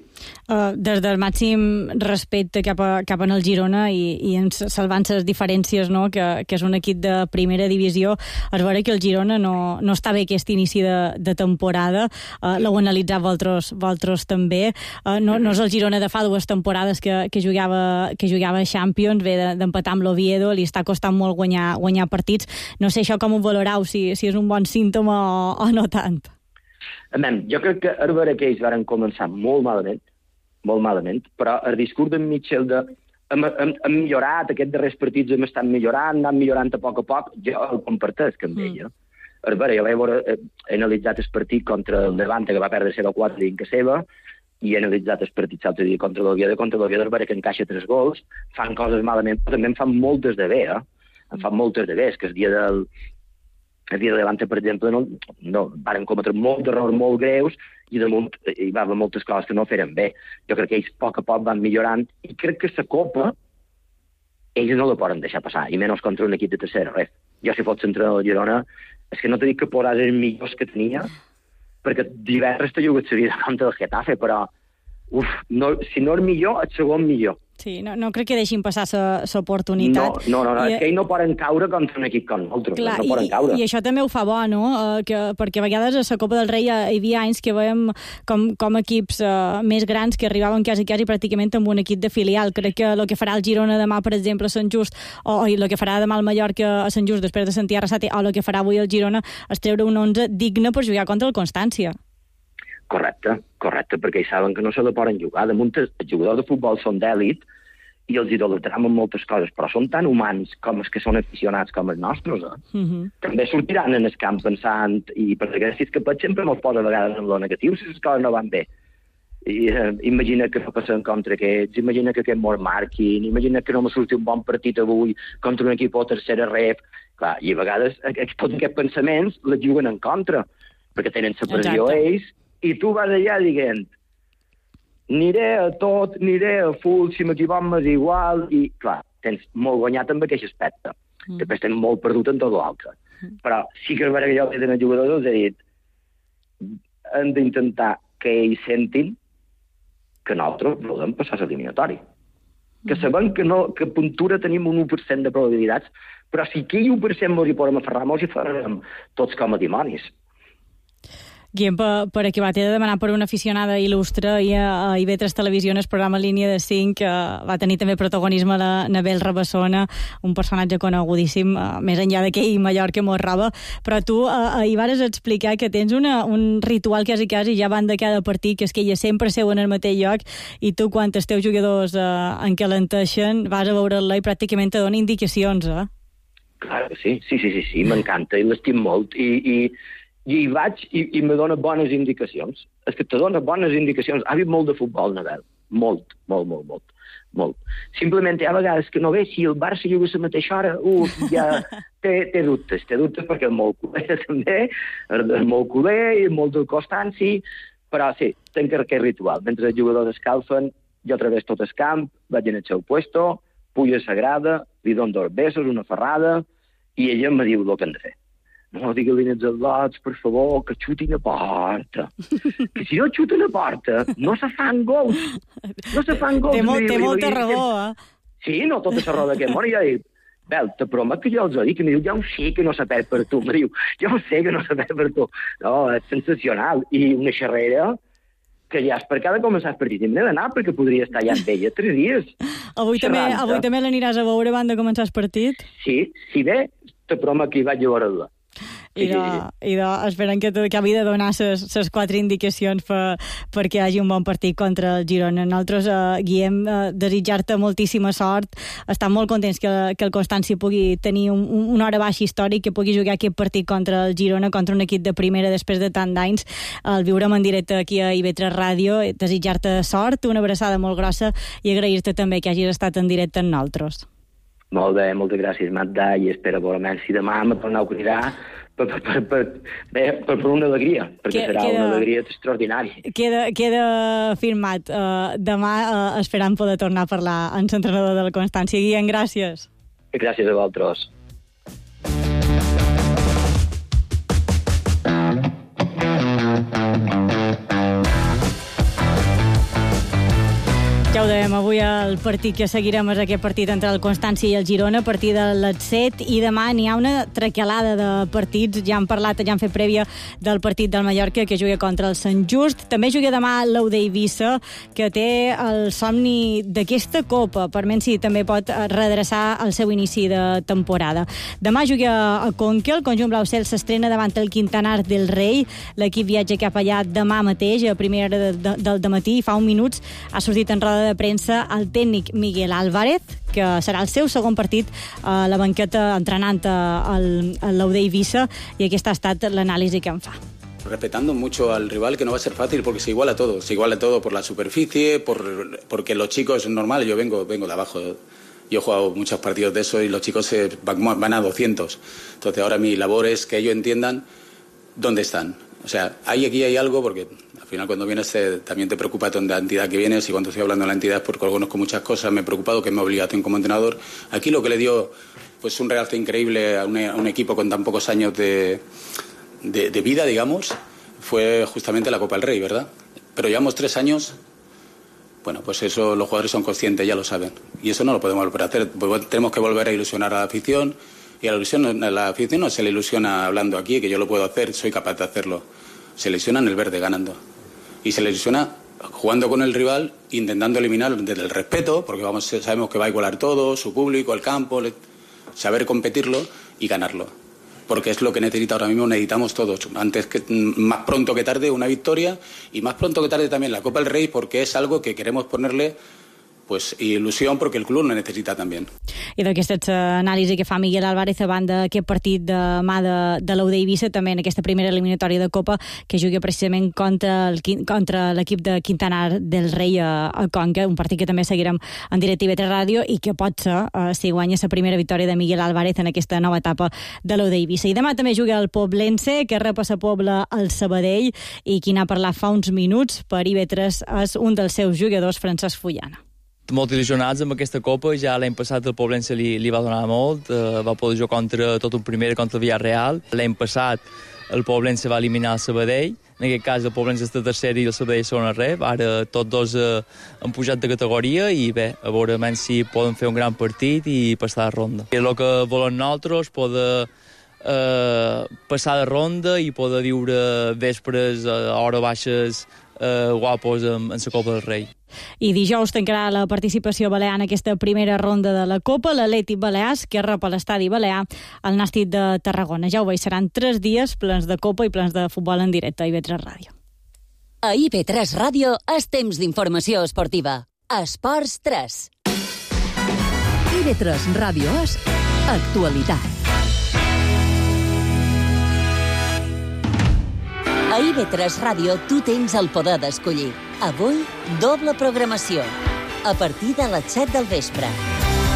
Speaker 4: Des del màxim respecte cap en el Girona i salvant les diferències, no? que és un equip de primera divisió, es veure que el Girona no està bé aquest inici de temporada, l'heu analitzat vosaltres també, no és el Girona de fa 2 temporades que jugava a Champions, ve d'empatar amb l'Oviedo, li està costant molt guanyar partits. No sé això com ho valorau, si és un bon símptoma o no tant.
Speaker 21: Jo crec que és vera que ells van començar molt malament, però el discurs d'en Mitchell hem millorat, aquests darrers partits hem estat millorant, anant millorant a poc, jo el comparteix amb ella. És vera, jo he analitzat el partit contra el Levante, que va perdre 0-4 dins que seva, i he analitzat el partit l'altre dia contra l'Oviedo, és vera que encaixa 3 gols, fan coses malament, però també en fan moltes de bé, és que el dia el dia de Levante, per exemple, no varen cometre molts errors molt greus i damunt hi va haver moltes coses que no feren bé. Jo crec que ells a poc van millorant i crec que la Copa ells no la poden deixar passar, i menys contra un equip de tercera ref. Jo, si fos entrenador del Girona, és que no t'he dit que posàs els millors que tenia, perquè divendres t'he jugat la vida contra el Getafe, però si no és millor, el segon millor.
Speaker 4: Sí, no crec que deixin passar l'oportunitat.
Speaker 21: No, és que ells no poden caure contra un equip com nosaltres.
Speaker 4: Clar,
Speaker 21: no poden caure.
Speaker 4: I això també ho fa bo, no? Perquè a vegades a la Copa del Rei hi havia anys que veiem com equips més grans que arribaven quasi pràcticament amb un equip de filial. Crec que el que farà el Girona demà, per exemple, a Sant Just, o el que farà demà el Mallorca a Sant Just després de sentir Arrasate, o el que farà avui el Girona és treure un 11 digne per jugar contra el Constància.
Speaker 21: Correcte, perquè ells saben que no se la poden jugar. Damunt, els jugadors de futbol són d'èlit i els idolatram en moltes coses, però són tan humans com els que són aficionats com els nostres. També sortiran en el camp pensant, i per desgràcia que sempre mos posa a vegades en lo negatiu si les coses no van bé. Imagina que no passen contra aquests, imagina que aquests mos marquin, imagina que no me surti un bon partit avui contra un equip o tercera ref. Clar, i a vegades tots aquests pensaments les juguen en contra, perquè tenen la pressió ells, i tu vas allà dient aniré a tot, aniré a full, si m'equivoc m'és igual, i clar, tens molt guanyat amb aquest aspecte. Després tens molt perdut en tot l'altre. Però sí que és vera que jo que tenen jugadors els he dit hem d'intentar que ells sentin que nosaltres volem passar l'eliminatori. Que sabem que a puntura tenim un 1% de probabilitats, però si aquell 1% mos hi podem aferrar, mos hi farem tots com a dimonis.
Speaker 4: Guillem, per acabar, t'he de demanar per una aficionada il·lustre i a IB3 Televisió, el programa Línia de 5, que va tenir també protagonisme la Nabel Rabassona, un personatge conegudíssim, més enllà d'aquell Mallorca mos roba, però tu hi vas explicar que tens un ritual quasi ja van de cada partit, que és que ella sempre seu en el mateix lloc i tu, quan els teus jugadors encalenteixen, vas a veure-la i pràcticament te dona indicacions,
Speaker 21: Clar que sí, m'encanta i l'estim molt i hi vaig i me dona bones indicacions. És que te dona bones indicacions. Ha vist molt de futbol, Nabel. Molt. Simplement hi ha vegades que no ve, si el Barça juga a la mateixa hora, ja té dubtes perquè és molt culer també, és molt culer i molt del Constanci, però sí, tenc aquest ritual. Mentre els jugadors escalfen, jo través tot el camp, vaig en el seu puesto, pujo a la grada, li dono 2 besos, una ferrada, i ella em diu el que hem de fer. No digue-li als al·lots, per favor, que xutin a porta. Que si no xuten a porta, no se fan gols. Té
Speaker 4: molta raó,
Speaker 21: Sí, no tota la raó d'aquest món. I jo dic, Bel, te promet que jo els ho dic, i em diu, ja ho sé que no s'ha perd per tu. Em diu, ja ho sé que no s'ha perd per tu. No, és sensacional. I una xerrera que ja és per cada començar el partit. Hem d'anar perquè podria estar ja amb ella 3 dies.
Speaker 4: Avui també l'aniràs a veure abans de començar el partit?
Speaker 21: Sí, si bé, te promet que hi vaig a veure-la.
Speaker 4: I esperem que acabi de donar les 4 indicacions perquè hi hagi un bon partit contra el Girona. Nosaltres, Guillem, desitjar-te moltíssima sort. Estem molt contents que el Constància pugui tenir una hora baixa històric, que pugui jugar aquest partit contra el Girona, contra un equip de primera després de tant d'anys. El viurem en directe aquí a IB3 Ràdio. Desitjar-te sort, una abraçada molt grossa i agrair-te també que hagis estat en directe amb nosaltres.
Speaker 21: Molt bé, moltes gràcies, Magda, i espero veure si demà me torneu a cridar per una alegria, perquè serà una alegria extraordinària.
Speaker 4: Queda firmat. Demà esperam poder tornar a parlar amb l'entrenador de la Constància. Guillem, gràcies.
Speaker 21: Gràcies a vosaltres.
Speaker 4: Ja ho dèiem, avui el partit que seguirem és aquest partit entre el Constància i el Girona, a partir de les 7, i demà n'hi ha una traquelada de partits. Ja han fet prèvia del partit del Mallorca, que juga contra el Sant Just. També juga demà l'Eude Eivissa, que té el somni d'aquesta Copa. Per Mensi també pot redreçar el seu inici de temporada. Demà juga a Conca, el conjunt blau cel s'estrena davant el Quintanar del Rei. L'equip viatja cap allà demà mateix, a primera hora del dematí, i fa uns minuts ha sortit en roda de premsa el tècnic Miguel Álvarez, que serà el seu segon partit a la banqueta entrenant l'Eude Eivissa, i aquesta ha estat l'anàlisi que en fa.
Speaker 1: Respetando mucho al rival, que no va a ser fácil porque se iguala todo por la superficie, porque los chicos es normal, yo vengo de abajo Yo he jugado muchos partidos de eso y los chicos van a 200. Entonces ahora mi labor es que ellos entiendan dónde están. O sea, aquí hay algo, porque al final cuando vienes también te preocupa de la entidad que vienes, y cuando estoy hablando de la entidad es porque conozco muchas cosas, me he preocupado, que es mi obligación como entrenador. Aquí lo que le dio pues un realce increíble a un equipo con tan pocos años de vida, digamos, fue justamente la Copa del Rey, ¿verdad? Pero llevamos 3 años... Bueno, pues eso los jugadores son conscientes, ya lo saben. Y eso no lo podemos volver a hacer. Tenemos que volver a ilusionar a la afición. Y a la afición no se le ilusiona hablando aquí, que yo lo puedo hacer, soy capaz de hacerlo. Se le ilusiona en el verde ganando. Y se le ilusiona jugando con el rival, intentando eliminar desde el respeto, porque sabemos que va a igualar todo, su público, el campo, saber competirlo y ganarlo. Porque es lo que necesita ahora mismo, necesitamos todos. Más pronto que tarde una victoria, y más pronto que tarde también la Copa del Rey, porque es algo que queremos ponerle pues il·lusió, perquè el club lo necessita també.
Speaker 4: I d'aquesta anàlisi que fa Miguel Álvarez a banda d'aquest partit de mà de l'UD Eivissa, també en aquesta primera eliminatòria de Copa, que juga precisament contra l'equip de Quintana del Rei a Conca, un partit que també seguirem en directe a IB3 Ràdio i que pot ser, si guanya la primera victòria de Miguel Álvarez en aquesta nova etapa de l'UD Eivissa. I demà també juga el Poblense, que rep a sa Pobla el Sabadell, i qui n'ha parlat fa uns minuts per IB3 és un dels seus jugadors, Francesc Fullana.
Speaker 2: Molt il·lusionats amb aquesta Copa. Ja l'any passat el Poblense li va donar molt, va poder jugar contra tot un primer, contra el Villarreal. L'any passat el Poblense va eliminar el Sabadell, en aquest cas el Poblense està tercer i el Sabadell segona rep. Ara tots dos han pujat de categoria i bé, a veure si poden fer un gran partit i passar de ronda. El que volem nosaltres, poder passar de ronda i poder viure vespres a hores baixes guapos en la Copa del Rei.
Speaker 4: I dijous tancarà la participació balear en aquesta primera ronda de la Copa l'Atlètic Balears, que rep a l'estadi balear el Nàstic de Tarragona. Ja ho veig, seran 3 dies plens de Copa i plens de futbol en directe a IB3 Ràdio.
Speaker 22: A IB3 Ràdio és temps d'informació esportiva. Esports 3. IB3 Ràdio és actualitat. A IB3 Ràdio tu tens el poder d'escollir. Avui, doble programació. A partir de les 7 del vespre.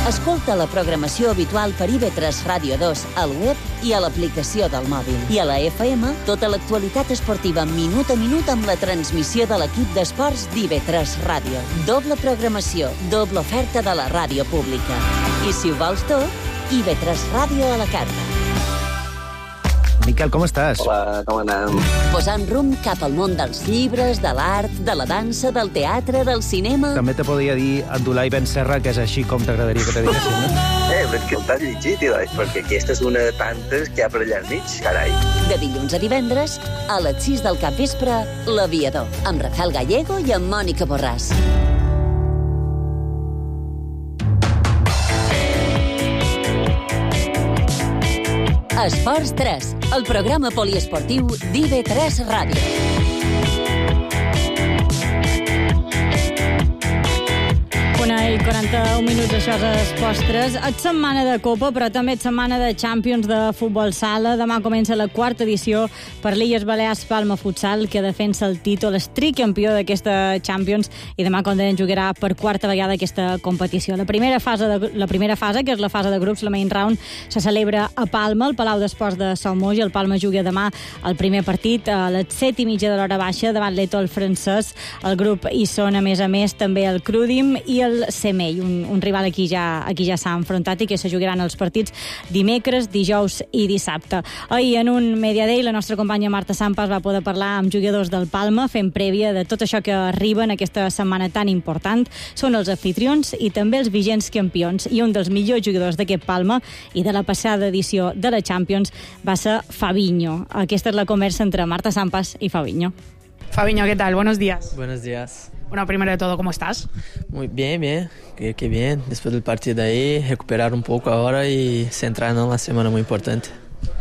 Speaker 22: Escolta la programació habitual per IB3 Ràdio 2 al web i a l'aplicació del mòbil. I a la FM, tota l'actualitat esportiva minut a minut amb la transmissió de l'equip d'esports d'IB3 Ràdio. Doble programació, doble oferta de la ràdio pública. I si ho vols tot, IB3 Ràdio a la carta.
Speaker 23: Miquel, com estàs?
Speaker 24: Hola, com anem?
Speaker 22: Posant rumb cap al món dels llibres, de l'art, de la dansa, del teatre, del cinema...
Speaker 23: També te podria dir Abdulai Ben Serra, que és així com t'agradaria que te diguessin, no?
Speaker 24: Però que t'has llegit, perquè aquesta és una de tantes que hi ha per allà al mig, carai.
Speaker 22: De dilluns a divendres, a les 6 del capvespre, L'Aviador, amb Rafael Gallego i amb Mònica Borràs. Esports 3, el programa poliesportiu d'IB3 Ràdio.
Speaker 4: 1:41 minuts, això és Esports 3. És setmana de Copa, però també és setmana de Champions de futbol sala. Demà comença la 4ª edició per l'Illes Balears Palma Futsal, que defensa el títol, és tricampió d'aquesta Champions, i demà, com deien, jugarà per 4a vegada aquesta competició. La primera fase, que és la fase de grups, la main round, se celebra a Palma, al Palau d'Esports de Salmó, i el Palma juga demà el primer partit a les 7:30 de l'hora baixa davant l'Etol francès. El grup hi són, a més, també el Crudim i el Semell, un rival aquí ja s'ha enfrontat i que se jugaran els partits dimecres, dijous i dissabte. Ahir, en un Media Day, la nostra companya Marta Sampas va poder parlar amb jugadors del Palma, fent prèvia de tot això que arriba en aquesta setmana tan important. Són els anfitrions i també els vigents campions, i un dels millors jugadors d'aquest Palma i de la passada edició de la Champions va ser Fabinho. Aquesta és la conversa entre Marta Sampas y Fabinho.
Speaker 25: Fabinho, ¿qué tal? Buenos días.
Speaker 26: Buenos días.
Speaker 25: Bueno, primero de todo, ¿cómo estás?
Speaker 26: Muy bien, qué bien. Después del partido ahí, recuperar un poco ahora y centrarnos en la semana muy importante.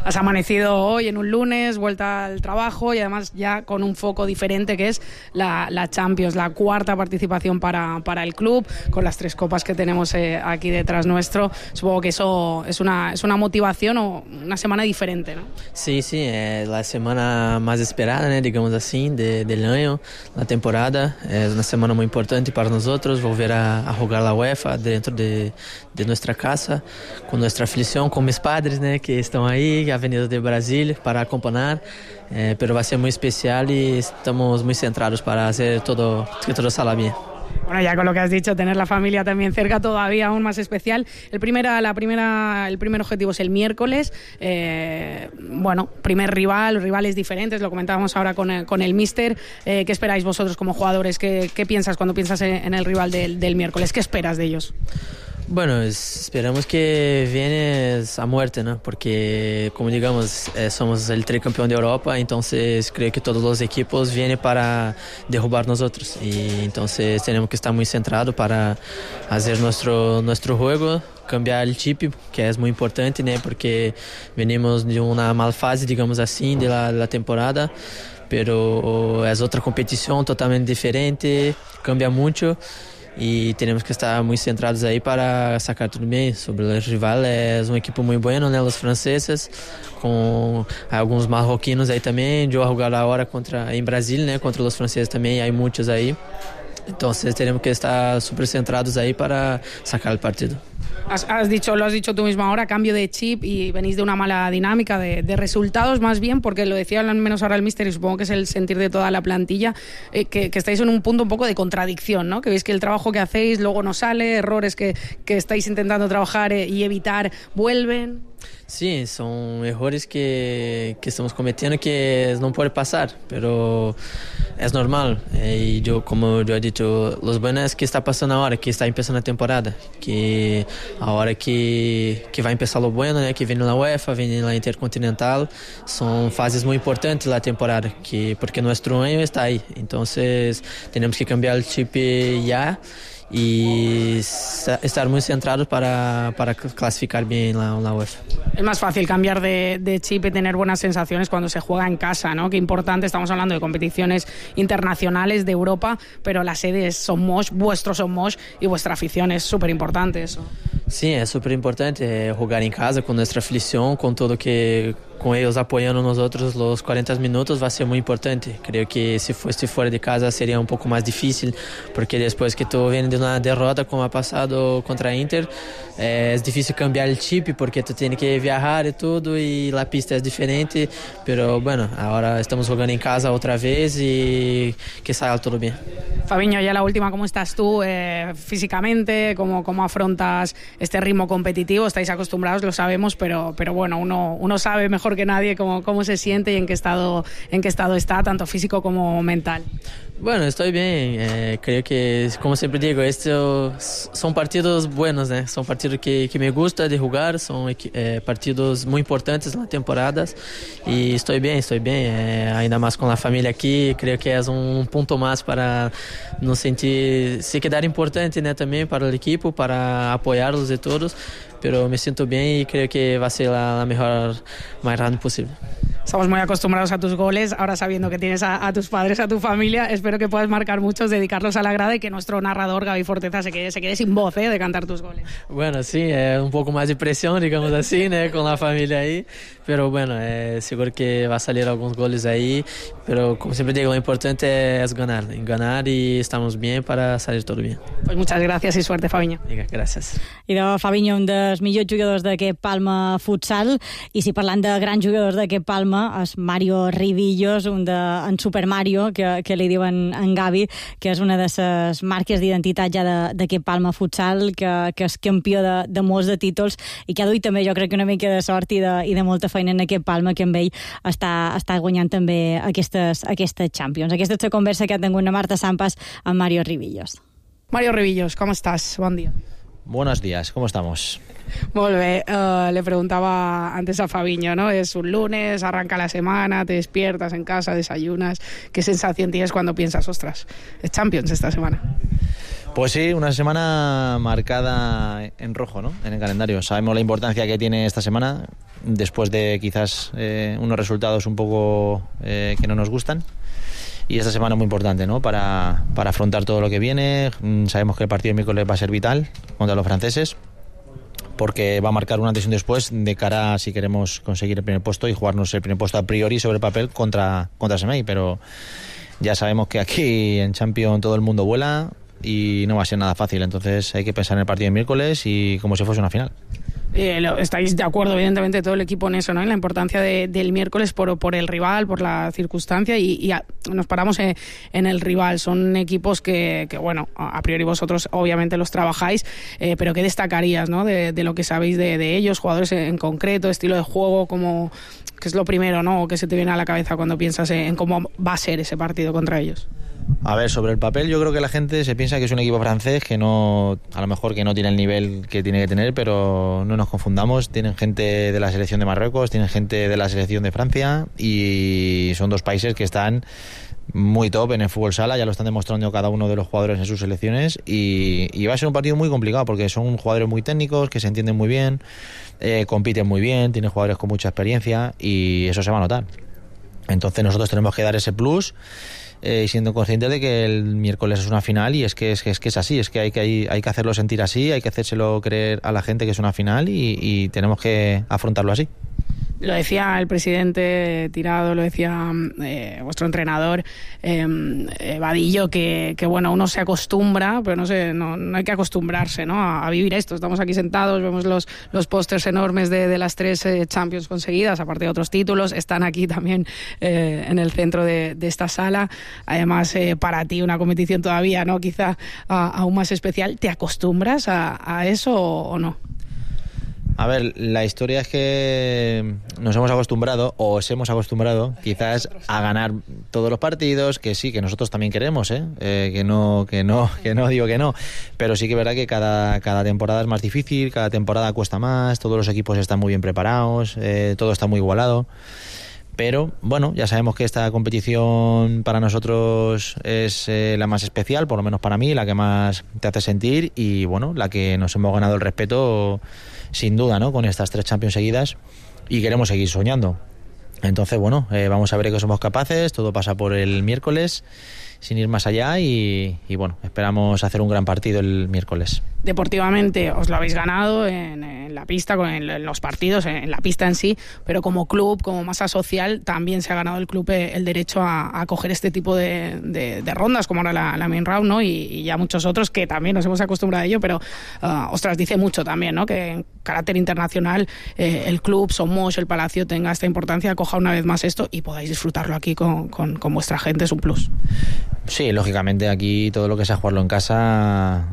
Speaker 25: Has amanecido hoy en un lunes, vuelta al trabajo y además ya con un foco diferente que es la Champions, la cuarta participación para el club, con las 3 copas que tenemos aquí detrás nuestro. Supongo que eso es una motivación o una semana diferente, ¿no?
Speaker 26: Sí, es la semana más esperada, ¿no? Digamos así, del año, la temporada. Es una semana muy importante para nosotros, volver a jugar la UEFA dentro de nuestra casa, con nuestra afición, con mis padres, ¿no? Que están ahí, ha venido de Brasil para acompañar, pero va a ser muy especial y estamos muy centrados para hacer que todo salga bien.
Speaker 25: Bueno, ya con lo que has dicho, tener la familia también cerca todavía aún más especial. El primer objetivo es el miércoles. Primer rivales diferentes, lo comentábamos ahora con el míster. ¿Qué esperáis vosotros como jugadores? ¿Qué piensas cuando piensas en el rival del miércoles? ¿Qué esperas de ellos?
Speaker 26: Bueno, esperamos que viene a muerte, ¿no? Porque, como digamos, somos el tricampeón de Europa, entonces creo que todos los equipos vienen para derrubar nosotros. Y entonces tenemos que estar muy centrados para hacer nuestro juego, cambiar el chip, que es muy importante, ¿no? Porque venimos de una mala fase, digamos así, de la temporada, pero es otra competición totalmente diferente, cambia mucho. Y tenemos que estar muy centrados ahí para sacar todo bien. Sobre el rival, es un equipo muy bueno, ¿no? Los franceses, con algunos marroquinos ahí también. Yo voy a jugar ahora en Brasil, ¿no? Contra los franceses también, hay muchos ahí. Entonces tenemos que estar súper centrados ahí para sacar el partido.
Speaker 25: Lo has dicho tú mismo ahora, cambio de chip y venís de una mala dinámica de resultados más bien, porque lo decía al menos ahora el míster y supongo que es el sentir de toda la plantilla, que estáis en un punto un poco de contradicción, ¿no? Que veis que el trabajo que hacéis luego no sale, errores que estáis intentando trabajar y evitar vuelven.
Speaker 26: Sí, son errores que estamos cometiendo que no puede pasar, pero es normal. Y como yo he dicho, lo bueno es que está pasando ahora, que está empezando la temporada, que ahora que va a empezar lo bueno, ¿no? Que viene la UEFA, viene la Intercontinental, son fases muy importantes de la temporada, porque nuestro año está ahí. Entonces tenemos que cambiar el chip ya y estar muy centrados para clasificar bien la UEFA.
Speaker 25: Es más fácil cambiar de chip y tener buenas sensaciones cuando se juega en casa, ¿no? Qué importante, estamos hablando de competiciones internacionales de Europa, pero la sede es Son Moix, vuestro Son Moix, y vuestra afición es súper importante eso.
Speaker 26: Sí, es súper importante jugar en casa con nuestra afición, con todo que con ellos apoyando nosotros los 40 minutos va a ser muy importante. Creo que si fuese fuera de casa sería un poco más difícil, porque después que tú vienes de una derrota como ha pasado contra Inter, es difícil cambiar el chip porque tú tienes que viajar y todo y la pista es diferente, pero bueno, ahora estamos jugando en casa otra vez y que salga todo bien.
Speaker 25: Fabiño, ya la última, ¿cómo estás tú físicamente? ¿Cómo afrontas este ritmo competitivo? Estáis acostumbrados, lo sabemos, pero bueno, uno sabe mejor que nadie cómo se siente y en qué estado está, tanto físico como mental.
Speaker 26: Bueno, estoy bien. Creo que, como siempre digo, estos son partidos buenos, ¿no? Son partidos que me gusta de jugar, son partidos muy importantes en las temporadas y estoy bien. Ainda más con la familia aquí, creo que es un punto más para nos sentir, se quedar importante, ¿no? También para el equipo, para apoyarlos de todos, pero me siento bien y creo que va a ser la mejor más rápido posible.
Speaker 25: Estamos muy acostumbrados a tus goles, ahora sabiendo que tienes a tus padres, a tu familia, espero que puedas marcar muchos, dedicarlos a la grada y que nuestro narrador Gaby Forteza se quede sin voz de cantar tus goles.
Speaker 26: Bueno, sí, un poco más de presión, digamos así, ¿no? Con la familia ahí, pero bueno, seguro que va a salir algunos goles ahí, pero como siempre digo, lo importante es ganar y estamos bien para salir todo bien.
Speaker 25: Pues muchas gràcies i suerte, Fabiño.
Speaker 26: Vinga, gràcies.
Speaker 4: I de Fabiño, un dels millors jugadors d'aquest Palma futsal, i si parlant de grans jugadors d'aquest Palma, és Mario Rivillos, en Super Mario, que li diuen en Gavi, que és una de les marques d'identitat ja d'aquest Palma futsal, que és campió de molts de títols i que ha duit també, jo crec que una mica de sort i de molta feina en aquest Palma, que amb ell està guanyant també aquestes Champions. Aquesta és la conversa que ha tingut la Marta Sampas amb Mario Rivillos.
Speaker 25: Mario Rivillos, ¿cómo estás? Buen día.
Speaker 6: Buenos días, ¿cómo estamos?
Speaker 25: Molt bé, le preguntaba antes a Fabiño, ¿no? Es un lunes, arranca la semana, te despiertas en casa, desayunas. ¿Qué sensación tienes cuando piensas, ostras, es Champions esta semana?
Speaker 6: Pues sí, una semana marcada en rojo, ¿no? En el calendario. Sabemos la importancia que tiene esta semana, después de quizás unos resultados un poco que no nos gustan. Y esta semana es muy importante, ¿no? Para afrontar todo lo que viene. Sabemos que el partido de miércoles va a ser vital contra los franceses, porque va a marcar un antes y un después de cara a si queremos conseguir el primer puesto y jugarnos el primer puesto a priori sobre el papel contra Semey. Pero ya sabemos que aquí en Champions todo el mundo vuela y no va a ser nada fácil, entonces hay que pensar en el partido de miércoles y como si fuese una final.
Speaker 25: Estáis de acuerdo, evidentemente, todo el equipo en eso, ¿no? En la importancia del miércoles por el rival, por la circunstancia y nos paramos en el rival. Son equipos que bueno, a priori vosotros obviamente los trabajáis, pero ¿qué destacarías, ¿no? de lo que sabéis de ellos, jugadores en concreto, estilo de juego, como que es lo primero, ¿no? ¿Qué se te viene a la cabeza cuando piensas en cómo va a ser ese partido contra ellos?
Speaker 6: A ver, sobre el papel yo creo que la gente se piensa que es un equipo francés que no, a lo mejor que no tiene el nivel que tiene que tener, pero no nos confundamos, tienen gente de la selección de Marruecos, tienen gente de la selección de Francia y son dos países que están muy top en el fútbol sala, ya lo están demostrando cada uno de los jugadores en sus selecciones y va a ser un partido muy complicado porque son jugadores muy técnicos, que se entienden muy bien, compiten muy bien, tienen jugadores con mucha experiencia y eso se va a notar. Entonces nosotros tenemos que dar ese plus, siendo conscientes de que el miércoles es una final y es que es así, es que hay que hacerlo sentir así, hay que hacérselo creer a la gente que es una final y tenemos que afrontarlo así.
Speaker 25: Lo decía el presidente Tirado, lo decía vuestro entrenador Vadillo, que bueno, uno se acostumbra, pero no hay que acostumbrarse, ¿no? a vivir esto. Estamos aquí sentados, vemos los pósters enormes de las 3 Champions conseguidas, aparte de otros títulos, están aquí también en el centro de esta sala. Además, para ti una competición todavía, ¿no? Quizá aún más especial. ¿Te acostumbras a eso o no?
Speaker 6: A ver, la historia es que nos hemos acostumbrado, o os hemos acostumbrado, quizás a ganar todos los partidos, que sí, que nosotros también queremos, que no digo que no, pero sí que es verdad que cada temporada es más difícil, cada temporada cuesta más, todos los equipos están muy bien preparados, todo está muy igualado. Pero bueno, ya sabemos que esta competición para nosotros es la más especial, por lo menos para mí, la que más te hace sentir y bueno, la que nos hemos ganado el respeto sin duda, ¿no? Con estas 3 Champions seguidas y queremos seguir soñando. Entonces bueno, vamos a ver que somos capaces, todo pasa por el miércoles sin ir más allá y bueno, esperamos hacer un gran partido el miércoles.
Speaker 25: Deportivamente os lo habéis ganado en la pista, en los partidos, en la pista en sí, pero como club, como masa social, también se ha ganado el club el derecho a coger este tipo de rondas, como ahora la main round, ¿no? Y ya muchos otros que también nos hemos acostumbrado a ello, pero ostras, dice mucho también, ¿no? Que en carácter internacional el club, Somos, el Palacio tenga esta importancia, coja una vez más esto y podáis disfrutarlo aquí con vuestra gente, es un plus.
Speaker 6: Sí, lógicamente aquí todo lo que sea jugarlo en casa,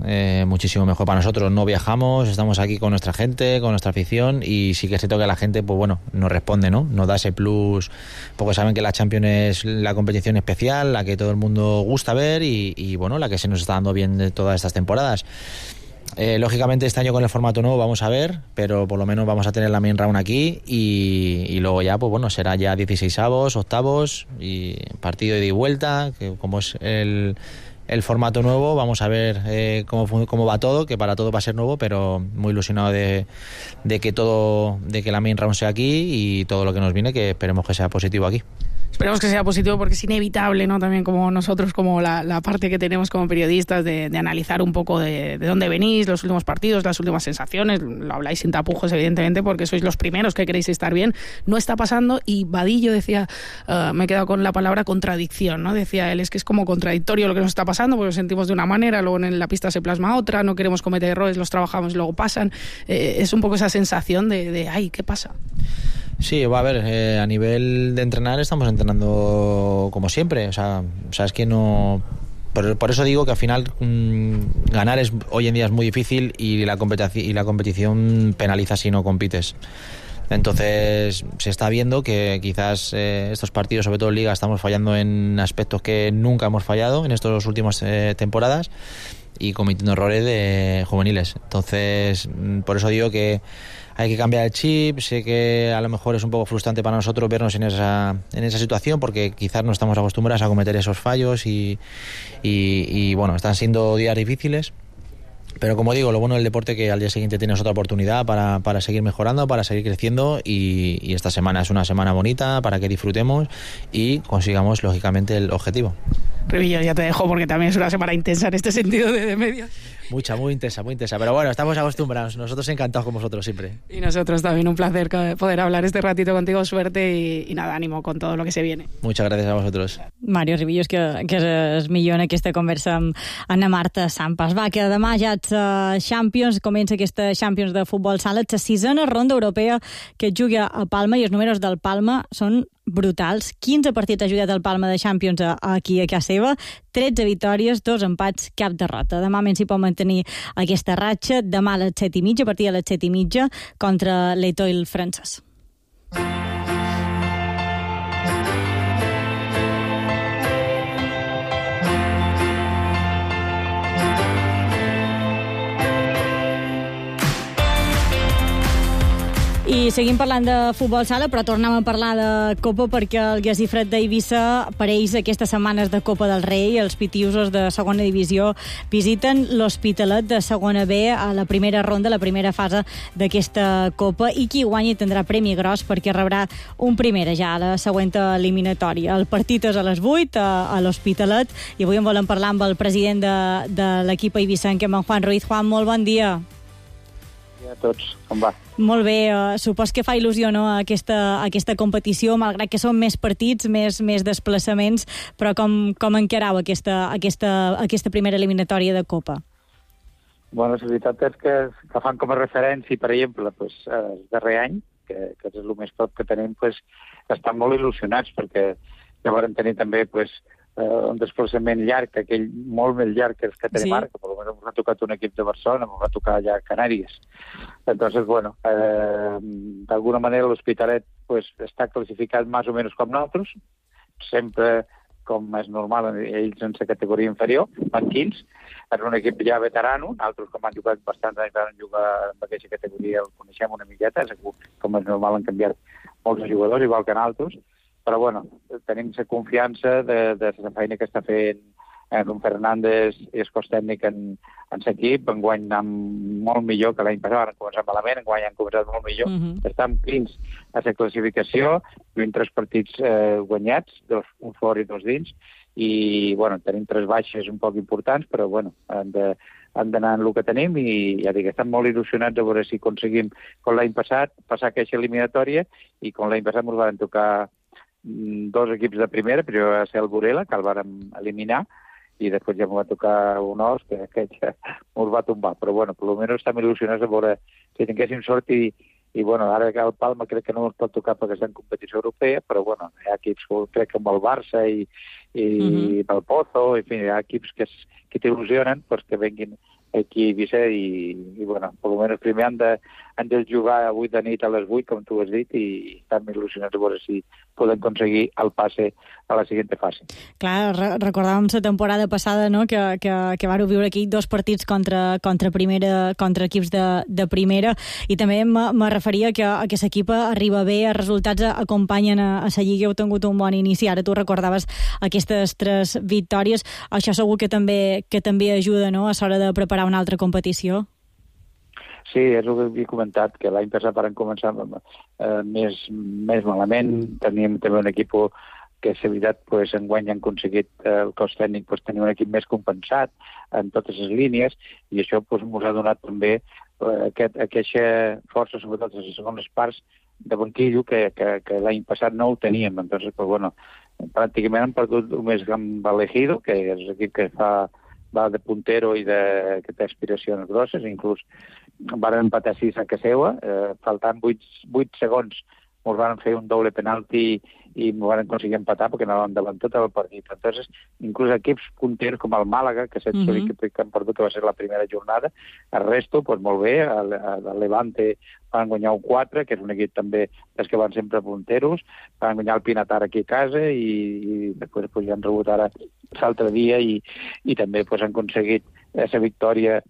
Speaker 6: muchísimo mejor para nosotros. No viajamos, estamos aquí con nuestra gente, con nuestra afición y sí que es cierto que la gente, pues bueno, nos responde, ¿no? Nos da ese plus, porque saben que la Champions es la competición especial, la que todo el mundo gusta ver y bueno, la que se nos está dando bien de todas estas temporadas. Lógicamente este año con el formato nuevo vamos a ver, pero por lo menos vamos a tener la main round aquí y luego ya, pues bueno, será ya 16avos, octavos y partido de ida y vuelta, que como es el formato nuevo, vamos a ver cómo va todo, que para todo va a ser nuevo, pero muy ilusionado de que la main round sea aquí y todo lo que nos viene, que esperemos que sea positivo aquí.
Speaker 25: Esperemos que sea positivo porque es inevitable, ¿no? También como nosotros, como la parte que tenemos como periodistas de analizar un poco de dónde venís, los últimos partidos, las últimas sensaciones. Lo habláis sin tapujos, evidentemente, porque sois los primeros que queréis estar bien. No está pasando y Vadillo decía, me he quedado con la palabra contradicción, ¿no? Decía él, es que es como contradictorio lo que nos está pasando porque lo sentimos de una manera, luego en la pista se plasma otra, no queremos cometer errores, los trabajamos y luego pasan. Es un poco esa sensación de ay, ¿qué pasa?
Speaker 6: Sí, va a ver, a nivel de entrenar estamos entrenando como siempre, o sea es que no... Por eso digo que al final ganar hoy en día es muy difícil y la competición penaliza si no compites. Entonces se está viendo que quizás estos partidos, sobre todo en Liga, estamos fallando en aspectos que nunca hemos fallado en estas últimas temporadas. y cometiendo errores de juveniles. Entonces, por eso digo que hay que cambiar el chip. Sé que a lo mejor es un poco frustrante para nosotros vernos en esa situación, porque quizás no estamos acostumbrados a cometer esos fallos y bueno, están siendo días difíciles. Pero como digo, lo bueno del deporte es que al día siguiente tienes otra oportunidad para seguir mejorando, para seguir creciendo, y esta semana es una semana bonita para que disfrutemos y consigamos lógicamente el objetivo.
Speaker 25: Revillos, ya te dejo porque también es una semana intensa en este sentido de medios.
Speaker 6: Muy intensa, pero bueno, estamos acostumbrados, nosotros encantados con vosotros siempre.
Speaker 25: Y nosotros también, un placer poder hablar este ratito contigo, suerte y nada, ánimo con todo lo que se viene.
Speaker 6: Muchas gracias a vosotros.
Speaker 4: Mario Ribillos, que és millor en aquesta conversa amb Anna Marta Sampas. Va, que demà ja ets Champions, comença aquesta Champions de futbol sala, ets la sisena ronda europea que et juga a Palma, i els números del Palma són brutals. 15 partits ha jugat el Palma de Champions aquí a casa seva, 13 victòries, 2 empats, cap derrota. Demà menys hi pot mantenir aquesta ratxa. Demà a les 7:30, a partir de les 7:30, contra l'Etoile francès. I seguim parlant de futbol sala, però tornem a parlar de Copa, perquè el Guesifred d'Eivissa, per ells, aquestes setmanes de Copa del Rei, els pitiusos de segona divisió visiten l'Hospitalet de segona B a la primera ronda, la primera fase d'aquesta Copa, i qui guanyi tindrà premi gros perquè rebrà un primera ja a la següent eliminatòria. El partit és a les 8 a l'Hospitalet, i avui en volem parlar amb el president de l'equip eivissenc, amb en Juan Ruiz. Juan, molt bon dia.
Speaker 7: A tots, com va?
Speaker 4: Molt bé, supos que fa il·lusió, no, aquesta competició, malgrat que són més partits, més desplaçaments, però com encarau aquesta primera eliminatòria de Copa?
Speaker 7: Bueno, la veritat és que fan com a referència, per exemple, el darrer any, que és el més prop que tenim, estan molt il·lusionats, perquè ja vam tenir també un desplaçament llarg, aquell molt més llarg que els que tenim ara, que per almenys ens ha tocat un equip de Barcelona, ens va tocar allà a Canàries. Entonces, bueno, d'alguna manera l'Hospitalet està classificat més o menys com nosaltres, sempre, com és normal, ells en la categoria inferior, van 15, és un equip ja veterano, altres com han jugat bastants anys van jugar en aquesta categoria, el coneixem una miqueta, com és normal han canviat molts jugadors, igual que nosaltres, però bueno, tenim la confiança de la feina que està fent Ron Fernández i el cos tècnic en l'equip. Enguany anem molt millor que l'any passat, van començar malament, enguany han començat molt millor. Estem fins a la classificació, tenim 3 partits guanyats, 2 un fora i 2 dins, i bueno, tenim 3 baixes un poc importants, però bueno, han d'anar en el que tenim, i ja dic, estem molt il·lusionats a veure si aconseguim, com l'any passat, passar aquesta eliminatòria, i com l'any passat ens van tocar 2 equips de primera, però va ser el Burela, que el vàrem eliminar, i després ja m'ho va tocar un os, que ja ens va tombar. Però bueno, per almenys estem il·lusionats a veure si tinguéssim sort, i bueno, ara que el Palma crec que no ens pot tocar perquè està en competició europea, però bueno, hi ha equips, crec que amb el Barça i el Pozo, en fi, hi ha equips que t'il·lusionen que venguin aquí a Eivissa, i bueno, per almenys primer han de jugar avui de nit a les 8, com tu has dit, i estem il·lusionats a veure si poden aconseguir el passe a la següent fase.
Speaker 4: Clar, recordàvem la temporada passada, no?, que vàreu viure aquí 2 partits contra equips de primera, i també me referia que l'equip arriba bé, els resultats acompanyen a la Lliga, heu tingut un bon inici, ara tu recordaves aquestes 3 victòries, això segur que també ajuda, no?, a l'hora de preparar una altra competició.
Speaker 7: Sí, és el que havia comentat, que l'any passat van començar més malament, teníem també un equip que, és veritat, enguany han aconseguit el cos tècnic tenir un equip més compensat en totes les línies, i això ens ha donat també aquesta força, sobretot a les segones parts de banquillo, que l'any passat no ho teníem. Entonces, bueno, pràcticament han perdut només amb l'Ejido, que és l'equip que va de puntero i que té aspiracions grosses, inclús van empatar 6 a casa seva, faltant 8 segons ens van fer un doble penalti i ens van aconseguir empatar perquè anaven davant tot el partit. Entonces, inclús equips punters com el Màlaga, que és l'equip que han perdut, que va ser la primera jornada, el resto, molt bé, el Levante van guanyar un 4, que és un equip també dels que van sempre punteros, van guanyar el Pinatar aquí a casa, i després ja han rebut ara l'altre dia, i també han aconseguit la victòria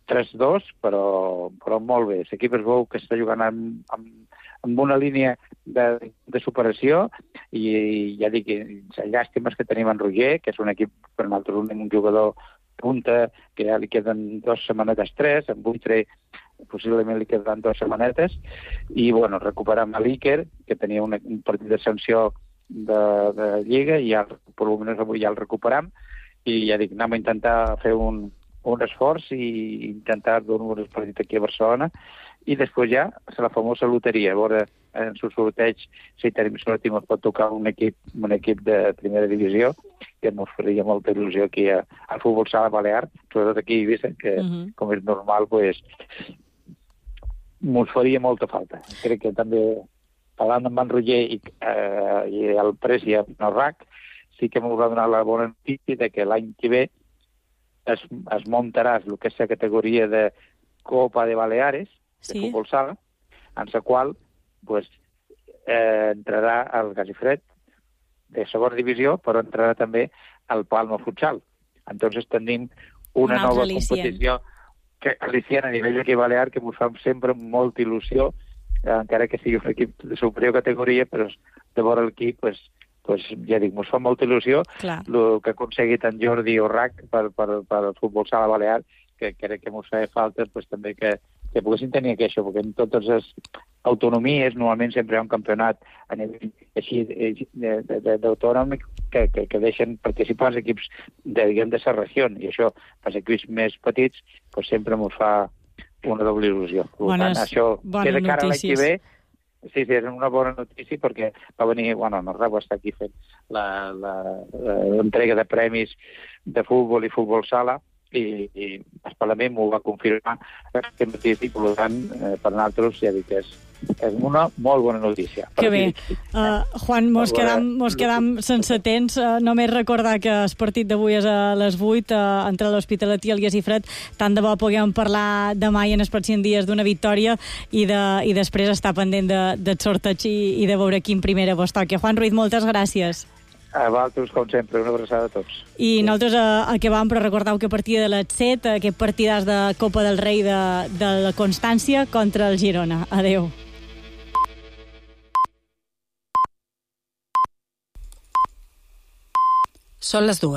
Speaker 7: 3-2, però molt bé. L'equip es veu que està jugant amb una línia de superació i ja dic, la llàstima és que tenim en Roger, que és un equip, per nosaltres, un jugador punta, que ja li queden 2 setmanetes, 3, en Buitre possiblement li queden 2 setmanetes, i bueno, recuperem a l'Iker, que tenia un partit de sanció de Lliga, i ja, per almenys avui ja el recuperem, i ja dic, anem a intentar fer un esforç i intentar donar un partit aquí a Barcelona, i després ja la famosa loteria, a veure en el sorteig si tenim sort i ens pot tocar un equip de primera divisió, que ens faria molta il·lusió aquí al futbol sala balear, sobretot aquí a Eivissa, que com és normal, pues, ens faria molta falta. Crec que també, parlant amb en Roger i el Presi i el RAC, sí que m'haurà donat la bona notícia de que l'any que ve es muntarà el que és la categoria de Copa de Baleares, de futbol sala, en la qual pues, entrarà el Gasifred de segona divisió, però entrarà també el Palma Futsal. Entonces tenim una nova competició aliciant a nivell aquí balear que ens fa sempre molta il·lusió, encara que sigui un equip de superior categoria, però de veure l'equip, pues, ja dic, ens fa molta il·lusió el que ha aconseguit en Jordi Orrac per futbol sala balear, que crec que ens feia falta pues, també que poguessin tenir això, perquè en totes les autonomies normalment sempre hi ha un campionat a nivell així d'autònomic que deixen participar els equips de la regió, i això per als equips més petits pues, sempre ens fa una doble il·lusió. Això queda cara a l'any que ve. Sí, és una bona notícia perquè va venir, Norrau està aquí fent l'entrega de premis de futbol i futbol sala, i el Parlament m'ho va confirmar aquest matí, i per tant, per nosaltres ja dic que és una molt bona notícia.
Speaker 4: Que bé. Juan, mos quedam sense temps. Només recordar que el partit d'avui és a les 8 entre l'Hospitalet i el Gasifred. Tant de bo puguem parlar demà i en els pròxims dies d'una victòria i després estar pendent del sorteig i de veure quin primera vos toca. Juan Ruiz, moltes gràcies.
Speaker 7: A vosaltres, com sempre, una abraçada a tots.
Speaker 4: I nosaltres acabam, però recordeu que a partir de les 7, aquest partidàs de Copa del Rei de la Constància contra el Girona. Adéu.
Speaker 15: Són les 2.